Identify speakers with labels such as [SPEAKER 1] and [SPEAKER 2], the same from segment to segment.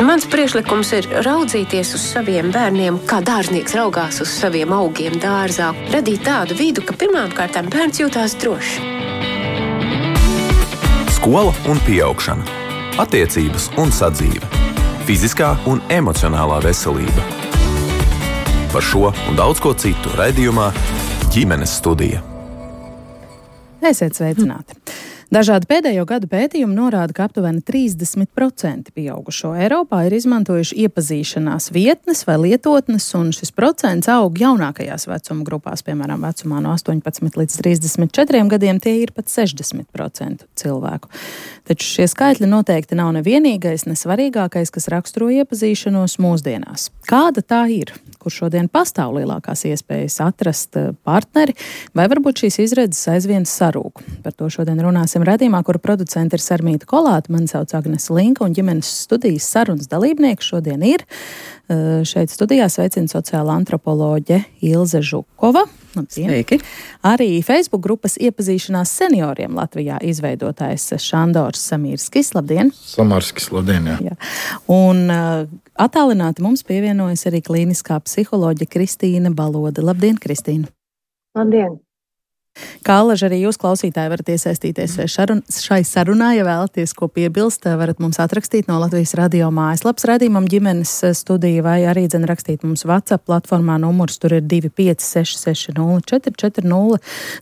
[SPEAKER 1] Mans priekšlikums ir raudzīties uz saviem bērniem, kā dārznieks raugās uz saviem augiem dārzā. Radīt tādu vidu, ka pirmām kārtām bērns jūtās droši.
[SPEAKER 2] Skola un pieaugšana. Attiecības un sadzīve. Fiziskā un emocionālā veselība. Par šo un daudz ko citu raidījumā Ģimenes studija.
[SPEAKER 3] Esiet sveicināti! Dažādi pēdējo gadu pētījumi norāda, ka aptuveni 30% pieaugušo Eiropā ir izmantojuši iepazīšanās vietnes vai lietotnes, un šis procents aug jaunākajās vecuma grupās, piemēram, vecumā no 18 līdz 34 gadiem, tie ir pat 60% cilvēku. Taču šie skaitļi noteikti nav nevienīgais, nesvarīgākais, kas raksturo iepazīšanos mūsdienās. Kāda tā ir? Kur šodien pastāv lielākās iespējas atrast partneri, vai varbūt šīs izredzes aizvien sarūk? Par to šodien runāsim raidījumā, kura producente ir Sarmīta Kolāte. Mani sauc Agnese Linka, un ģimenes studijas sarunas dalībnieki šodien ir šeit studijā sveicina sociāla antropoloģe Ilze Žukova.
[SPEAKER 4] Sveiki!
[SPEAKER 3] Arī Facebook grupas iepazīšanās senioriem Latvijā izveidotājs Šandors Samirskis. Labdien!
[SPEAKER 5] Samirskis, labdien, jā.
[SPEAKER 3] Un attālināti mums pievienojas arī klīniskā psiholoģe Kristīna Balode. Labdien, Kristīna!
[SPEAKER 6] Labdien!
[SPEAKER 3] Kā alaži arī jūs, klausītāji, varat iesaistīties šai sarunā, ja vēlaties ko piebilst, varat mums atrakstīt no Latvijas radio mājaslapas raidījumam Ģimenes studija, vai arī rakstīt mums WhatsApp platformā, numurs tur ir 256604440.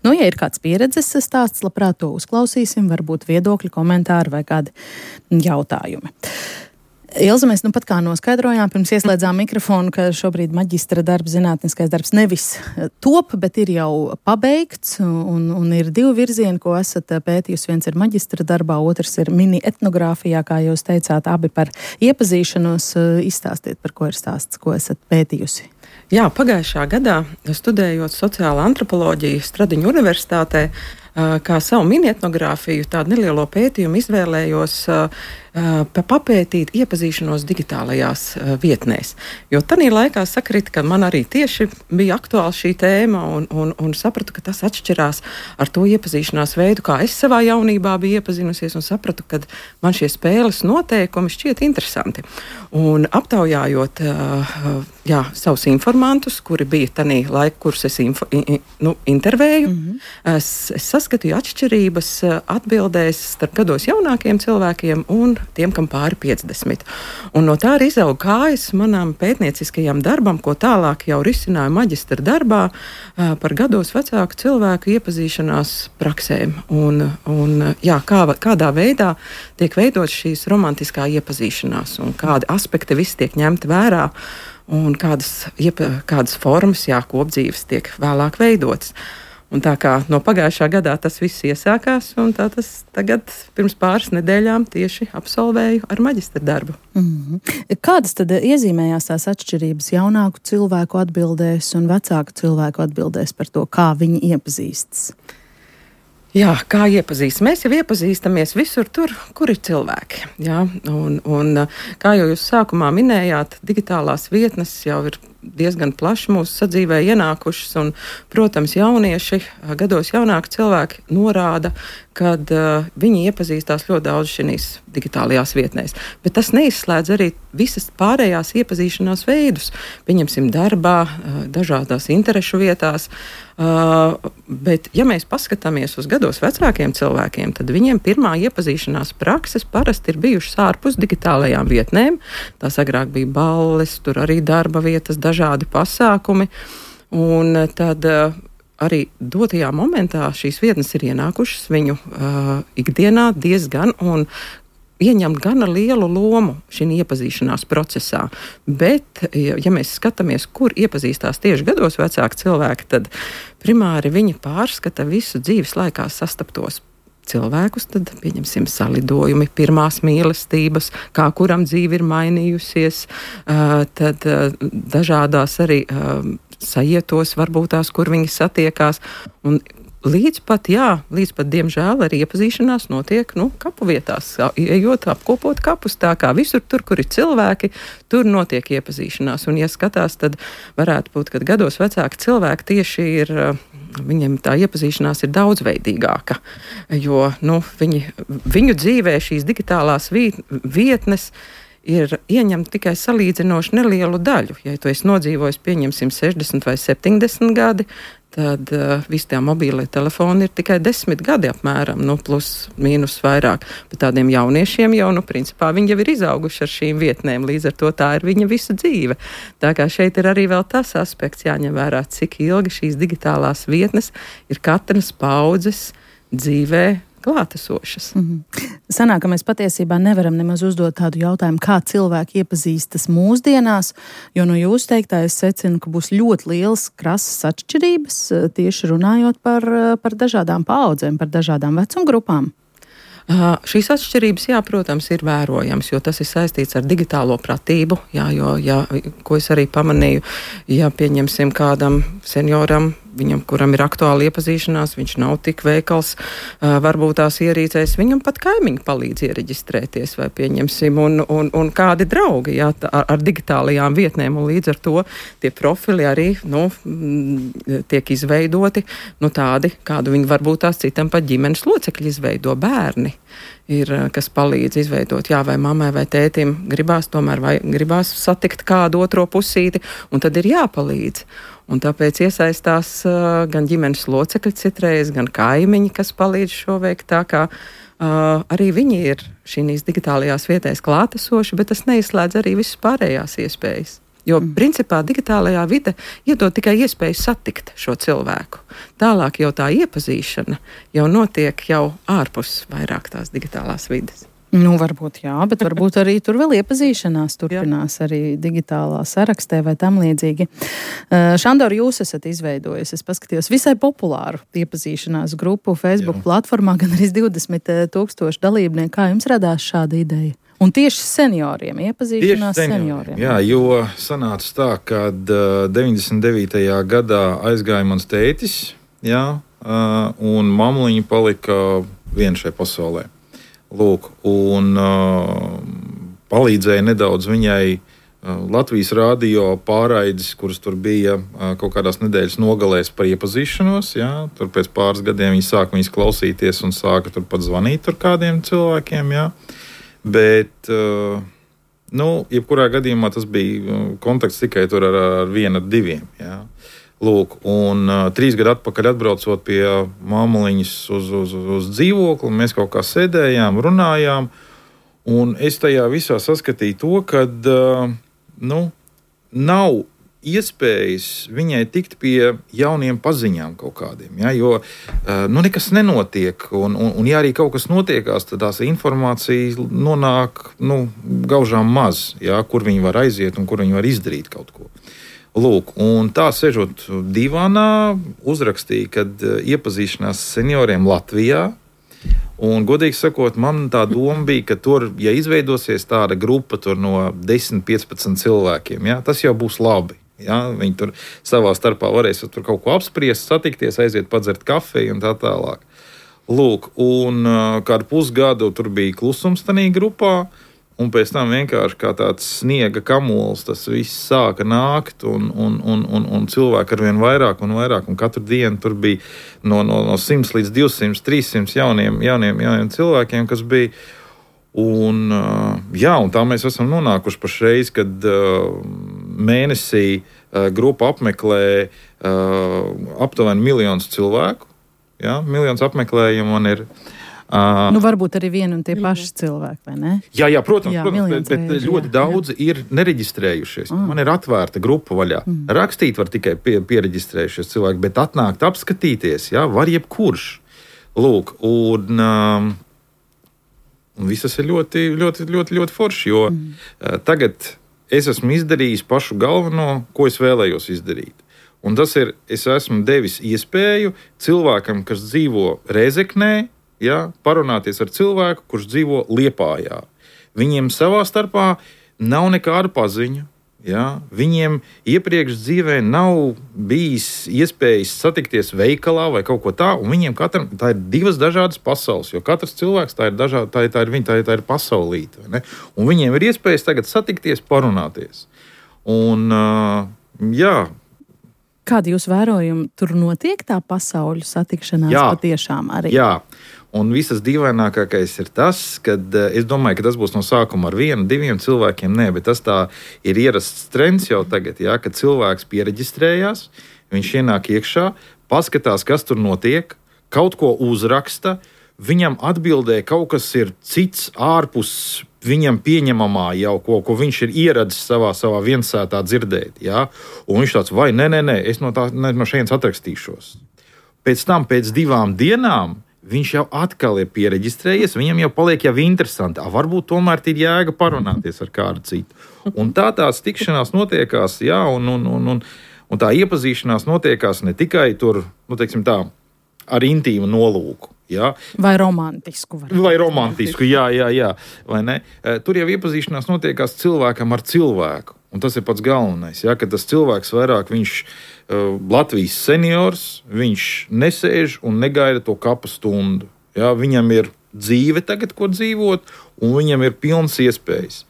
[SPEAKER 3] Nu, ja ir kāds pieredzes stāsts, labprāt to uzklausīsim, varbūt viedokļi, komentāri vai kādi jautājumi. Ilze, mēs pat kā noskaidrojām, pirms ieslēdzām mikrofonu, ka šobrīd maģistra darbs, zinātniskais darbs nevis top, bet ir jau pabeigts, un ir divi virzieni, ko esat pētījusi. Viens ir maģistra darbā, otrs ir mini etnogrāfijā, kā jūs teicāt, abi par iepazīšanos. Izstāstiet, par ko ir stāsts, ko esat pētījusi.
[SPEAKER 4] Jā, pagājušā gadā, studējot sociālo antropoloģiju Stradiņu universitātē, kā savu mini etnogrāfiju, tādu nelielo pētījumu izvēlējos papētīt iepazīšanos digitālajās vietnēs. Jo tanī laikā sakrita, ka man arī tieši bija aktuāla šī tēma un sapratu, ka tas atšķirās ar to iepazīšanās veidu, kā es savā jaunībā biju iepazinusies, un sapratu, ka man šie spēles noteikumi šķiet interesanti. Un aptaujājot savus informantus, kuri bija tanī laika, kurus es intervēju, es saskatīju atšķirības atbildēs starp gados jaunākiem cilvēkiem un tiem, kam pāri 50. Un no tā arī izauga kājas manam pētnieciskajam darbam, ko tālāk jau risināju maģistra darbā par gados vecāku cilvēku iepazīšanās praksēm. Kādā veidā tiek veidots šīs romantiskā iepazīšanās un kādi aspekti visi tiek ņemti vērā un kādas formas, kopdzīves tiek vēlāk veidotas. Un tā kā no pagājušā gadā tas viss iesākās, un tā tas tagad pirms pāris nedēļām tieši absolvēju ar maģistra darbu.
[SPEAKER 3] Kādas tad iezīmējās tās atšķirības jaunāku cilvēku atbildēs un vecāku cilvēku atbildēs par to, kā viņi iepazīstas?
[SPEAKER 4] Jā, kā iepazīst? Mēs jau iepazīstamies visur tur, kur ir cilvēki. Jā? Un kā jau jūs sākumā minējāt, digitālās vietnes jau ir diezgan plaši mūsu sadzīvē ienākušas, un, protams, jaunieši, gados jaunāki cilvēki norāda, kad viņi iepazīstās ļoti daudz šīs digitālajās vietnēs. Bet tas neizslēdz arī visas pārējās iepazīšanās veidus. Pieņemsim darbā, dažādās interešu vietās, bet, ja mēs paskatāmies uz gados vecākiem cilvēkiem, tad viņiem pirmā iepazīšanās prakses parasti ir bijušas ārpus digitālajām vietnēm. Tās agrāk bija balles, tur arī darba vietas, dažādi pasākumi, un tad arī dotajā momentā šīs vietnes ir ienākušas viņu ikdienā diezgan un ieņemt gana lielu lomu šī iepazīšanās procesā. Bet, ja mēs skatāmies, kur iepazīstās tieši gados vecāki cilvēki, tad primāri viņi pārskata visu dzīves laikā sastaptos cilvēkus, tad pieņemsim salidojumi, pirmās mīlestības, kā kuram dzīve ir mainījusies, tad dažādās arī sajietos, varbūt tās, kur viņi satiekās. Un līdz pat, diemžēl, arī iepazīšanās notiek, kapu vietās, ejot apkopot kapus, tā kā visur tur, kur ir cilvēki, tur notiek iepazīšanās. Un, ja skatās, tad varētu būt, ka gados vecāki cilvēki tieši ir, viņiem tā iepazīšanās ir daudzveidīgāka, jo, viņu dzīvē šīs digitālās vietnes ir ieņemt tikai salīdzinoši nelielu daļu. Ja tu esi nodzīvojis, pieņemsim, 60 vai 70 gadi, tad visi tie mobīlie telefoni ir tikai 10 gadi apmēram, plus mīnus vairāk. Bet tādiem jauniešiem jau, principā, viņi jau ir izauguši ar šīm vietnēm, līdz ar to tā ir viņa visa dzīve. Tā kā šeit ir arī vēl tas aspekts jāņem vērā, cik ilgi šīs digitālās vietnes ir katras paudzes dzīvē klātesošas.
[SPEAKER 3] Sanāk, ka mēs patiesībā nevaram nemaz uzdot tādu jautājumu, kā cilvēki iepazīstas mūsdienās, jo no jūsu teiktā es secinu, ka būs ļoti liels krasas atšķirības, tieši runājot par dažādām paudzēm, par dažādām vecumgrupām.
[SPEAKER 4] Šīs atšķirības, jā, protams, ir vērojams, jo tas ir saistīts ar digitālo pratību, jā, ko es arī pamanīju, ja pieņemsim kādam senioram, viņam, kuram ir aktuāla iepazīšanās, viņš nav tik veikals, varbūt tās ierīcēs, viņam pat kaimiņi palīdz iereģistrēties, vai pieņemsim, un kādi draugi, jā, ar digitālajām vietnēm, un līdz ar to tie profili arī, tiek izveidoti, tādi, kādu viņi varbūt tās citam pat ģimenes locekļi izveido, bērni ir, kas palīdz izveidot, jā, vai mammai vai tētim gribās satikt kādu otro pusīti, un tad ir jāpalīdz. Un tāpēc iesaistās gan ģimenes locekļi citreiz, gan kaimiņi, kas palīdz šo veikt, tā kā arī viņi ir šīs digitālajās vietēs klātesoši, bet tas neizslēdz arī visas pārējās iespējas. Jo, principā, digitālajā vide iedod tikai iespēju satikt šo cilvēku. Tālāk jau tā iepazīšana jau notiek jau ārpus vairāk tās digitālās vides.
[SPEAKER 3] Varbūt jā, bet varbūt arī tur vēl iepazīšanās turpinās arī digitālā sarakstē vai tam līdzīgi. Šandor, jūs esat izveidojis, es paskatījos, visai populāru iepazīšanās grupu Facebook platformā, gan arī 20,000 dalībnieku. Kā jums radās šāda ideja? Un tieši senioriem, iepazīšanās senioriem.
[SPEAKER 5] Jā, jo sanāca tā, kad 99. gadā aizgāja mans tētis, jā, un mamliņa palika vien šai pasaulē. Lūk, un palīdzēja nedaudz viņai Latvijas rādio pārraides, kuras tur bija kaut kādās nedēļas nogalēs par iepazīšanos. Jā, tur pēc pāris gadiem viņi sāka viņas klausīties un sāka tur pat zvanīt tur kādiem cilvēkiem. Jā. Bet, jebkurā gadījumā tas bija kontakts tikai tur ar vienu, diviem. Jā. Lūk, un 3 gadu atpakaļ atbraucot pie māmuliņas uz dzīvokli, mēs kaut kā sēdējām, runājām, un es tajā visā saskatīju to, ka nav iespējas viņai tikt pie jauniem paziņām kaut kādiem, ja, jo nekas nenotiek, un ja arī kaut kas notiekās, tad tās informācija nonāk gaužām maz, ja, kur viņi var aiziet un kur viņi var izdarīt kaut ko. Lūk, un tā sežot divānā, uzrakstīja, kad iepazīšanās senioriem Latvijā, un godīgi sakot, man tā doma bija, ka tur, ja izveidosies tāda grupa tur no 10-15 cilvēkiem, ja, tas jau būs labi. Ja, viņi tur savā starpā varēs tur kaut ko apspriest, satikties, aiziet padzert kafiju un tā tālāk. Lūk, un kādu pusgadu tur bija klusums tanī grupā, un pēc tam vienkārši kā tāds sniega kamols, tas viss sāka nākt, un cilvēki arvien vairāk un vairāk, un katru dienu tur bija no 100 līdz 200, 300 jauniem cilvēkiem, kas bija. Un tā mēs esam nonākuši pašreiz, kad mēnesī grupa apmeklē aptuveni 1 miljonu cilvēku. Jā, 1 miljons apmeklējumu man ir.
[SPEAKER 3] Varbūt arī vieni un tie paši cilvēki, vai ne?
[SPEAKER 5] Jā, protams, bet ļoti daudzi ir nereģistrējušies. Man ir atvērta grupa vaļā. Rakstīt var tikai piereģistrējušies cilvēki, bet atnākt apskatīties, jā, var jebkurš. Lūk, un visas ir ļoti, ļoti, ļoti, ļoti forši, jo tagad es esmu izdarījis pašu galveno, ko es vēlējos izdarīt. Un tas ir, es esmu devis iespēju cilvēkam, kas dzīvo Rēzeknē, ja, parunāties ar cilvēku, kurš dzīvo Liepājā. Viņiem savā starpā nav nekādu paziņu. Ja. Viņiem iepriekš dzīvē nav bijis iespējas satikties veikalā vai kaut ko tā, un viņiem katram tā ir 2 dažādas pasaules, jo katrs cilvēks tā ir pasaulīte. Ne? Un viņiem ir iespējas tagad satikties, parunāties. Un,
[SPEAKER 3] Kādi jūs vērojumi tur notiek tā pasauļu satikšanās patiešām arī?
[SPEAKER 5] Jā. Un visas dīvainākākais ir tas, ka es domāju, ka tas būs no sākuma ar 1, 2 cilvēkiem. Nē, bet tas tā ir ierasts trends jau tagad, ja, kad cilvēks piereģistrējās, viņš ienāk iekšā, paskatās, kas tur notiek, kaut ko uzraksta, viņam atbildē kaut kas ir cits ārpus viņam pieņemamā jau, ko viņš ir ieradis savā viensētā dzirdēt. Ja? Un viņš tāds, vai nē, es no šejienes atrakstīšos. Pēc tam, pēc 2 dienām, viņš jau atkal ir piereģistrējies, viņam jau paliek jau interesanti. Varbūt tomēr ir jēga parunāties ar kādu citu. Un tās tikšanās notiekās, jā, un tā iepazīšanās notiekās ne tikai tur, teiksim tā, ar intīmu nolūku. Jā.
[SPEAKER 3] Vai romantisku.
[SPEAKER 5] Vai romantisku, jā. Vai ne? Tur jau iepazīšanās notiekās cilvēkam ar cilvēku. Un tas ir pats galvenais, ja, ka tas cilvēks vairāk, viņš Latvijas seniors, viņš nesēž un negaida to kapa stundu. Ja, viņam ir dzīve tagad, ko dzīvot, un viņam ir pilns iespējas.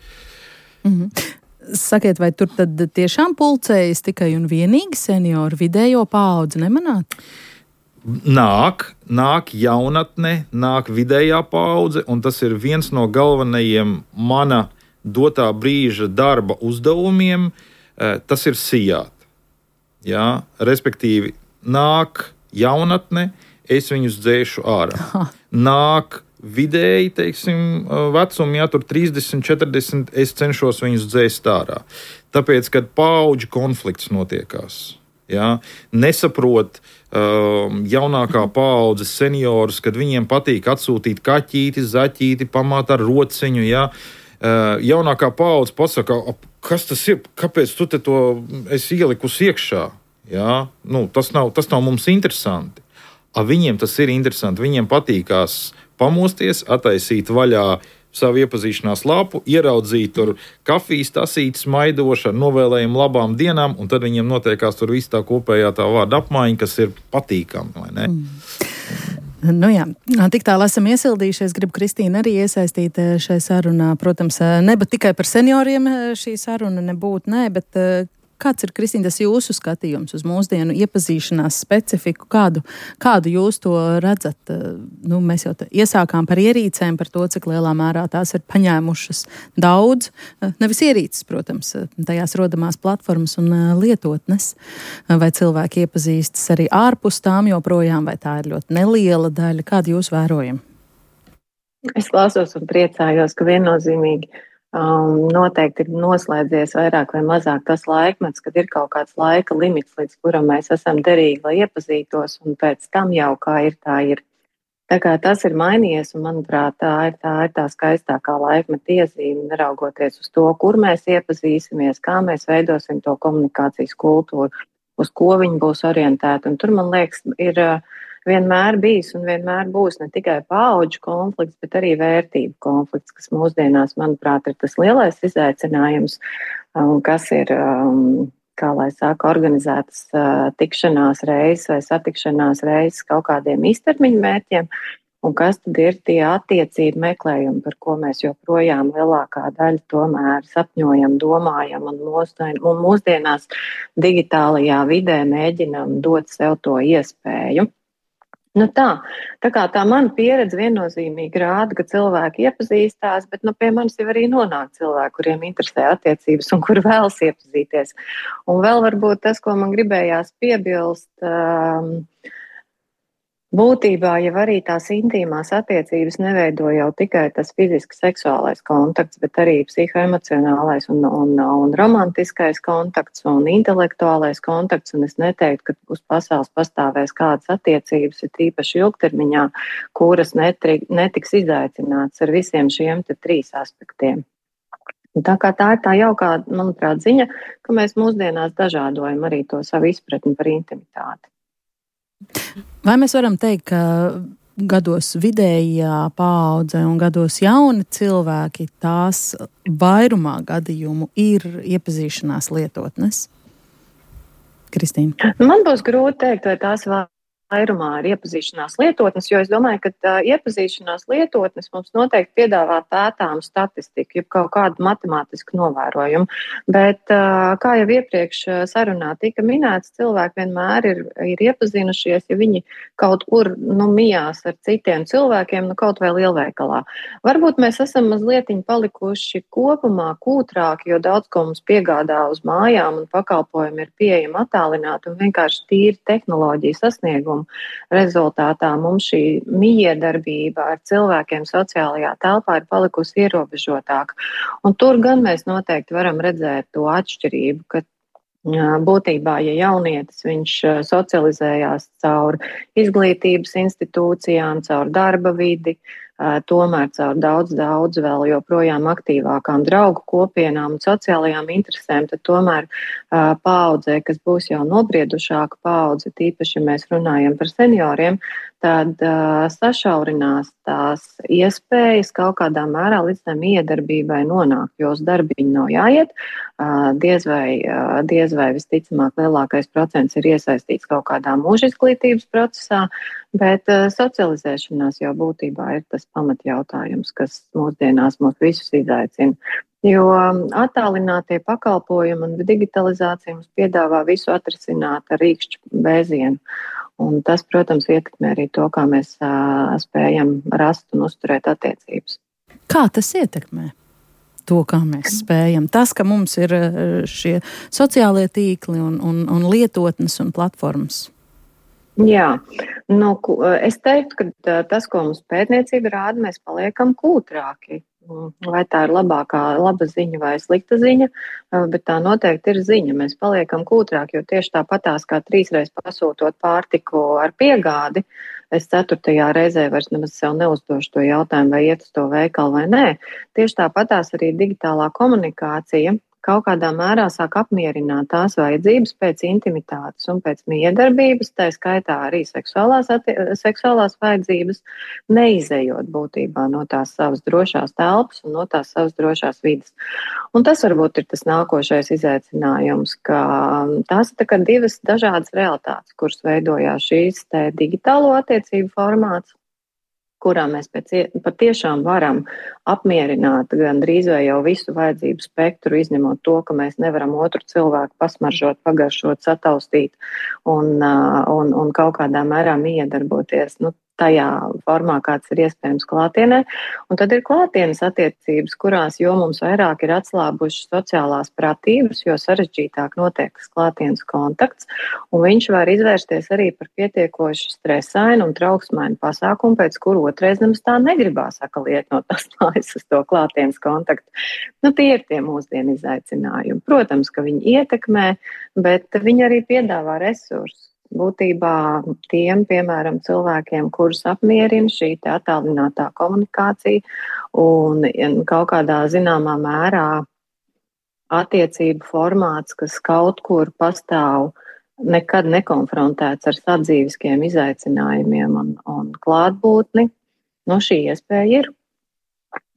[SPEAKER 3] Sakiet, vai tur tad tiešām pulcējas tikai un vienīgi seniori, vidējo paudzi nemanāt?
[SPEAKER 5] Nāk jaunatne, nāk vidējā paudze, un tas ir viens no galvenajiem mana dotā brīža darba uzdevumiem, tas ir sijāt. Ja? Respektīvi, nāk jaunatne, es viņus dzēšu ārā. Nāk vidēji, teiksim, vecumi, ja tur 30, 40, es cenšos viņus dzēst ārā. Tāpēc, kad paudžu konflikts notiekās, ja? Nesaprot jaunākā paudze seniorus, kad viņiem patīk atsūtīt kaķīti, zaķīti, pamāt ar rociņu, ja? Jaunākā paudze pasaka, kas tas ir, kāpēc tu te to esi ielikusi iekšā? Ja? Tas nav mums interesanti. Viņiem tas ir interesanti. Viņiem patīkās pamosties, attaisīt vaļā savu iepazīšanās lapu, ieraudzīt tur kafijas tasītes maidošu ar novēlējumu labām dienām, un tad viņiem notiekās tur viss tā kopējā tā vārda apmaiņa, kas ir patīkami, vai ne?
[SPEAKER 3] Nu jā, tik tālu esam iesildījušies. Gribu Kristīnu arī iesaistīt šai sarunā. Protams, nebūt tikai par senioriem šī saruna nebūtu, bet kāds ir, Kristīna, tas jūsu skatījums uz mūsdienu iepazīšanās specifiku? Kādu jūs to redzat? Mēs jau iesākām par ierīcēm, par to, cik lielā mērā tās ir paņēmušas daudz. Nevis ierīces, protams, tajās rodamās platformas un lietotnes. Vai cilvēki iepazīstas arī ārpus tām joprojām, vai tā ir ļoti neliela daļa? Kādu jūs vērojam?
[SPEAKER 6] Es klausos un priecājos, ka viennozīmīgi noteikti ir noslēdzies vairāk vai mazāk tas laikmets, kad ir kaut kāds laika limits, līdz kuram mēs esam derīgi, lai iepazītos, un pēc tam jau kā ir, tā ir. Tā kā tas ir mainījies, un manuprāt, tā ir tā skaistākā laikmeta iezīme, neraugoties uz to, kur mēs iepazīsimies, kā mēs veidosim to komunikācijas kultūru, uz ko viņi būs orientēti. Un tur, man liekas, ir vienmēr bijis un vienmēr būs ne tikai paudžu konflikts, bet arī vērtību konflikts, kas mūsdienās, manuprāt, ir tas lielais izaicinājums, kas ir, kā lai saka, organizētas tikšanās reizes vai satikšanās reizes kaut kādiem īstermiņa mērķiem, un kas tad ir tie attiecību meklējumi, par ko mēs joprojām lielākā daļa tomēr sapņojam, domājam un mūsdienās digitālajā vidē mēģinam dot sev to iespēju. Tā kā tā mana pieredze viennozīmīgi rāda, ka cilvēki iepazīstās, bet pie manis jau arī nonāk cilvēki, kuriem interesē attiecības un kuri vēlas iepazīties. Un vēl varbūt tas, ko man gribējās piebilst, būtībā jau arī tās intīmās attiecības neveido jau tikai tas fiziski seksuālais kontakts, bet arī psihoemocionālais un romantiskais kontakts un intelektuālais kontakts. Un es neteiktu, ka uz pasaules pastāvēs kādas attiecības, ir tīpaši ilgtermiņā, kuras netiks izaicināts ar visiem šiem 3 aspektiem. Tā kā tā ir tā jaukā, manuprāt, ziņa, ka mēs mūsdienās dažādojam arī to savu izpratni par intimitāti.
[SPEAKER 3] Vai mēs varam teikt, ka gados vidējā paudze un gados jauni cilvēki, tās vairumā gadījumu ir iepazīšanās lietotnes? Kristīna?
[SPEAKER 6] Man būs grūti teikt, vai tās vairumā ir iepazīšanās lietotnes, jo es domāju, ka iepazīšanās lietotnes mums noteikti piedāvā pētāmu statistiku, jeb kaut kādu matemātisku novērojumu. Bet, kā jau iepriekš sarunā tika minēts, cilvēki vienmēr ir iepazinušies, ja viņi kaut kur mijās ar citiem cilvēkiem, kaut vai lielveikalā. Varbūt mēs esam mazliet palikuši kopumā kūtrāki, jo daudz ko mums piegādā uz mājām un pakalpojumi ir pieejami attālināti un vienkārši tīri tehnoloģiju sasniegumu rezultātā mums šī mijiedarbība ar cilvēkiem sociālajā telpā ir palikusi ierobežotāka. Un tur gan mēs noteikti varam redzēt to atšķirību, ka būtībā, ja jaunietis viņš socializējās caur izglītības institūcijām, caur darba vidi, tomēr caur daudz vēl joprojām aktīvākām draugu kopienām un sociālajām interesēm, tad tomēr paaudzē, kas būs jau nobriedušāka paudze, tīpaši, ja mēs runājam par senioriem, tad sašaurinās tās iespējas kaut kādā mērā līdz tam iedarbībai nonākt, jo uz darbiņu nav jāiet. Diez vai visticamāk lielākais procents ir iesaistīts kaut kādā mūža izglītības procesā, bet socializēšanās jau būtībā ir tas pamatjautājums, kas mūsdienās mūs visus izaicina. Jo attālinātie pakalpojumi un digitalizācija mums piedāvā visu atrisināt ar rīkšķu vēzienu. Un tas, protams, ietekmē arī to, kā mēs spējam rast un uzturēt attiecības.
[SPEAKER 3] Kā tas ietekmē to, kā mēs spējam? Tas, ka mums ir šie sociālie tīkli un lietotnes un platformas.
[SPEAKER 6] Jā, es teiktu, ka tas, ko mums pētniecība rāda, mēs paliekam kūtrāki. Vai tā ir laba ziņa vai slikta ziņa, bet tā noteikti ir ziņa. Mēs paliekam kūtrāki, jo tieši tāpatās kā 3 reizes pasūtot pārtiku ar piegādi, es 4. reizē vairs nemaz sev neuzdošu to jautājumu, vai iet uz to veikalu vai nē. Tieši tāpatās arī digitālā komunikācija kaut kādā mērā sāk apmierināt tās vajadzības pēc intimitātes un pēc miedarbības, tā skaitā arī seksuālās vajadzības, neizejot būtībā no tās savas drošās telpas un no tās savas drošās vidas. Un tas varbūt ir tas nākošais izaicinājums, ka tās ir tā kā 2 dažādas realitātes, kuras veidojās šīs te digitālo attiecību formāts, kurā mēs patiešām varam apmierināt gandrīz vai jau visu vajadzību spektru, izņemot to, ka mēs nevaram otru cilvēku pasmaržot, pagaršot, sataustīt un kaut kādā mērā miedarboties tajā formā, kāds ir iespējams klātienē. Un tad ir klātienes attiecības, kurās jo mums vairāk ir atslābušas sociālās pratības, jo sarežģītāk notiek tas klātienes kontakts, un viņš var izvērsties arī par pietiekoši stresainu un trauksmainu pasākumu, pēc kuru otrais nemaz tā negribās iet no tās mājas uz to klātienes kontaktu. Tie ir tie mūsdienu izaicinājumi. Protams, ka viņi ietekmē, bet viņi arī piedāvā resursus. Būtībā tiem, piemēram, cilvēkiem, kurus apmierina šī attālinātā komunikācija un kaut kādā zināmā mērā attiecību formāts, kas kaut kur pastāv nekad nekonfrontēts ar sadzīviskiem izaicinājumiem un klātbūtni, šī iespēja ir.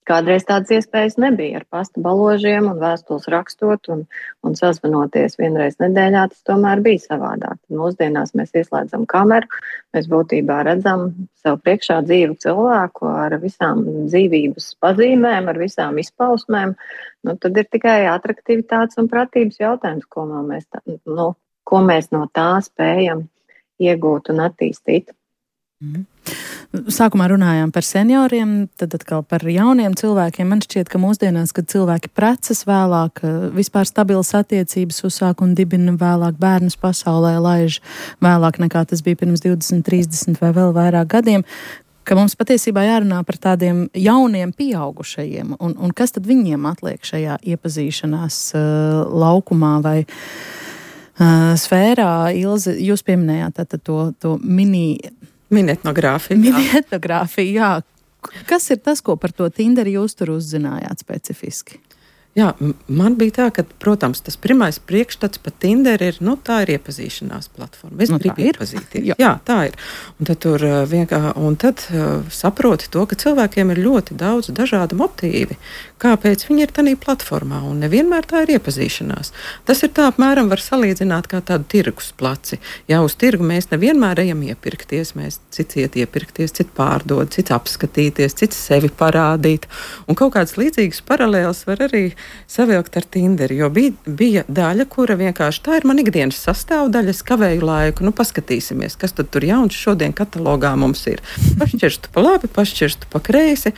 [SPEAKER 6] Kādreiz tādas iespējas nebija ar pasta baložiem un vēstules rakstot un sazvanoties vienreiz nedēļā, tas tomēr bija savādāk. Mūsdienās mēs ieslēdzam kameru, mēs būtībā redzam sev priekšā dzīvu cilvēku ar visām dzīvības pazīmēm, ar visām izpausmēm. Tad ir tikai atraktivitātes un pratības jautājums, ko mēs no tā spējam iegūt un attīstīt.
[SPEAKER 3] Sākumā runājām par senioriem, tad atkal par jauniem cilvēkiem. Man šķiet, ka mūsdienās, kad cilvēki precas vēlāk, vispār stabilas attiecības uzsāk un dibina vēlāk, bērnus pasaulē laiž vēlāk nekā tas bija pirms 20, 30 vai vēl vairāk gadiem, ka mums patiesībā jārunā par tādiem jauniem pieaugušajiem. Un kas tad viņiem atliek šajā iepazīšanās laukumā vai sfērā? Ilze, jūs pieminējāt to
[SPEAKER 4] Minetnogrāfija.
[SPEAKER 3] Minetnogrāfija, jā. Kas ir tas, ko par to Tinderi jūs tur uzzinājāt specifiski?
[SPEAKER 4] Jā, man bija tā, ka, protams, tas pirmais priekšstats par Tinder ir, tā ir iepazīšanās platforma. Es gribu iepazīties. Jā, tā ir. Un tad tur saproti to, ka cilvēkiem ir ļoti daudz dažādu motīvi, kāpēc viņi ir tādā platformā, un nevienmēr tā ir iepazīšanās. Tas ir tā apmēram var salīdzināt kā tādu tirgus placi. Jā, uz tirgu mēs nevienmēr ejam iepirkties, mēs cits iet iepirkties, cits pārdod, cits apskatīties, cits sevi parādīt. Un kaut kādas līdzīgas paralēlas var arī savilkt ar Tinderi, jo bija daļa, kura vienkārši tā ir man ikdienas sastāvdaļa, es kavēju laiku, paskatīsimies, kas tad tur jauns šodien katalogā mums ir. Pašķirstu pa labi, pašķirstu pa kreisi.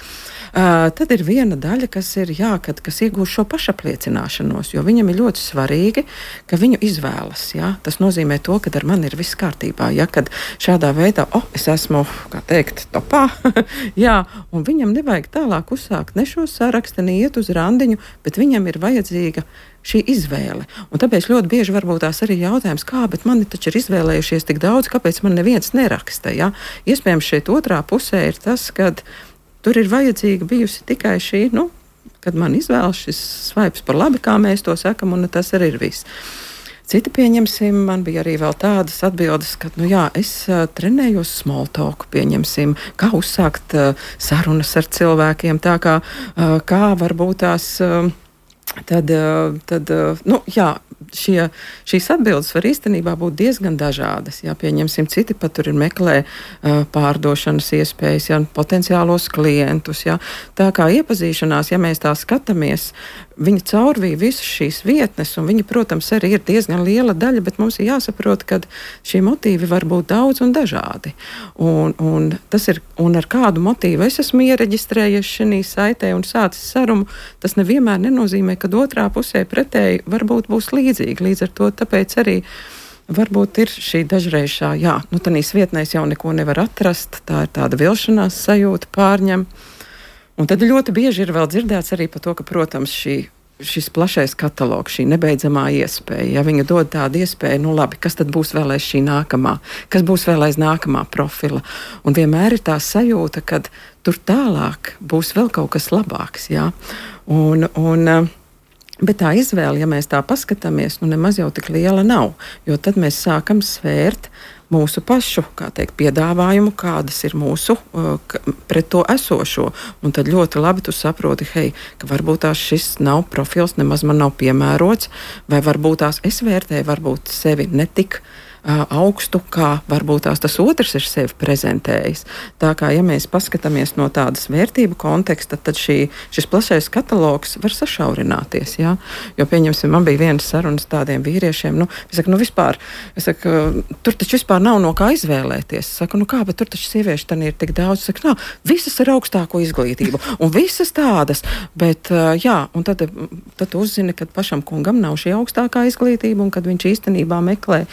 [SPEAKER 4] Tad ir viena daļa, kas ir kas iegūst šo pašapliecināšanos, jo viņam ir ļoti svarīgi, ka viņu izvēlas. Jā? Tas nozīmē to, ka ar mani ir viss kārtībā. Ja? Kad šādā veidā, es esmu, kā teikt, topā, jā, un viņam nevajag tālāk uzsākt ne šo sarakstu, ne iet uz randiņu, bet viņam ir vajadzīga šī izvēle. Un tāpēc ļoti bieži varbūt tās arī jautājums, bet mani taču ir izvēlējušies tik daudz, kāpēc man neviens neraksta. Ja? Iespējams, šeit otrā pusē ir tas, kad tur ir vajadzīga bijusi tikai šī, kad man izvēlas šis svaips par labi, kā mēs to sakam, un tas arī ir viss. Citi pieņemsim, man bija arī vēl tādas atbildes, ka, es trenējos small talk, pieņemsim, kā uzsākt sarunas ar cilvēkiem, tā kā varbūt tās, šīs atbildes var īstenībā būt diezgan dažādas. Jā, pieņemsim, citi pat tur ir meklē pārdošanas iespējas, potenciālos klientus. Jā. Tā kā iepazīšanās, ja mēs tā skatāmies, viņi caurvīja visas šīs vietnes, un viņi, protams, arī ir diezgan liela daļa, bet mums ir jāsaprot, ka šie motīvi var būt daudz un dažādi. Un ar kādu motīvu es esmu iereģistrējies šī saitē un sācis sarunu, tas nevienmēr nenozīmē, ka otrā pusē pretēji varbūt būs līdzīgi. Līdz ar to tāpēc arī varbūt ir šī dažreizā, tādīs vietnēs jau neko nevar atrast, tā ir tāda vilšanās sajūta pārņem. Un tad ļoti bieži ir vēl dzirdēts arī par to, ka, protams, šis plašais katalogs, šī nebeidzamā iespēja, ja viņa dod tādu iespēju, labi, kas tad būs vēl aiz šī nākamā, kas būs vēl aiz nākamā profila. Un vienmēr ir tā sajūta, ka tur tālāk būs vēl kaut kas labāks, jā. Bet tā izvēle, ja mēs tā paskatāmies, nemaz jau tik liela nav, jo tad mēs sākam svērt mūsu pašu, piedāvājumu, kādas ir mūsu pret to esošo. Un tad ļoti labi tu saproti, ka varbūt tās šis nav profils, nemaz man nav piemērots, vai varbūt tās es vērtēju, varbūt sevi netik augstu, kā varbūt tas otrs ir sevi prezentējis. Tā kā, ja mēs paskatāmies no tādas vērtību konteksta, tad šis plašais katalogs var sašaurināties. Ja? Jo, pieņemsim, man bija viena sarunas tādiem vīriešiem, tur taču vispār nav no kā izvēlēties. Es saku, bet tur taču sieviešu tad ir tik daudz. Es saku, visas ar augstāko izglītību, un visas tādas, bet, un tad tu uzzini, ka pašam kungam nav šī augstākā izglītība, un kad viņš īstenībā meklē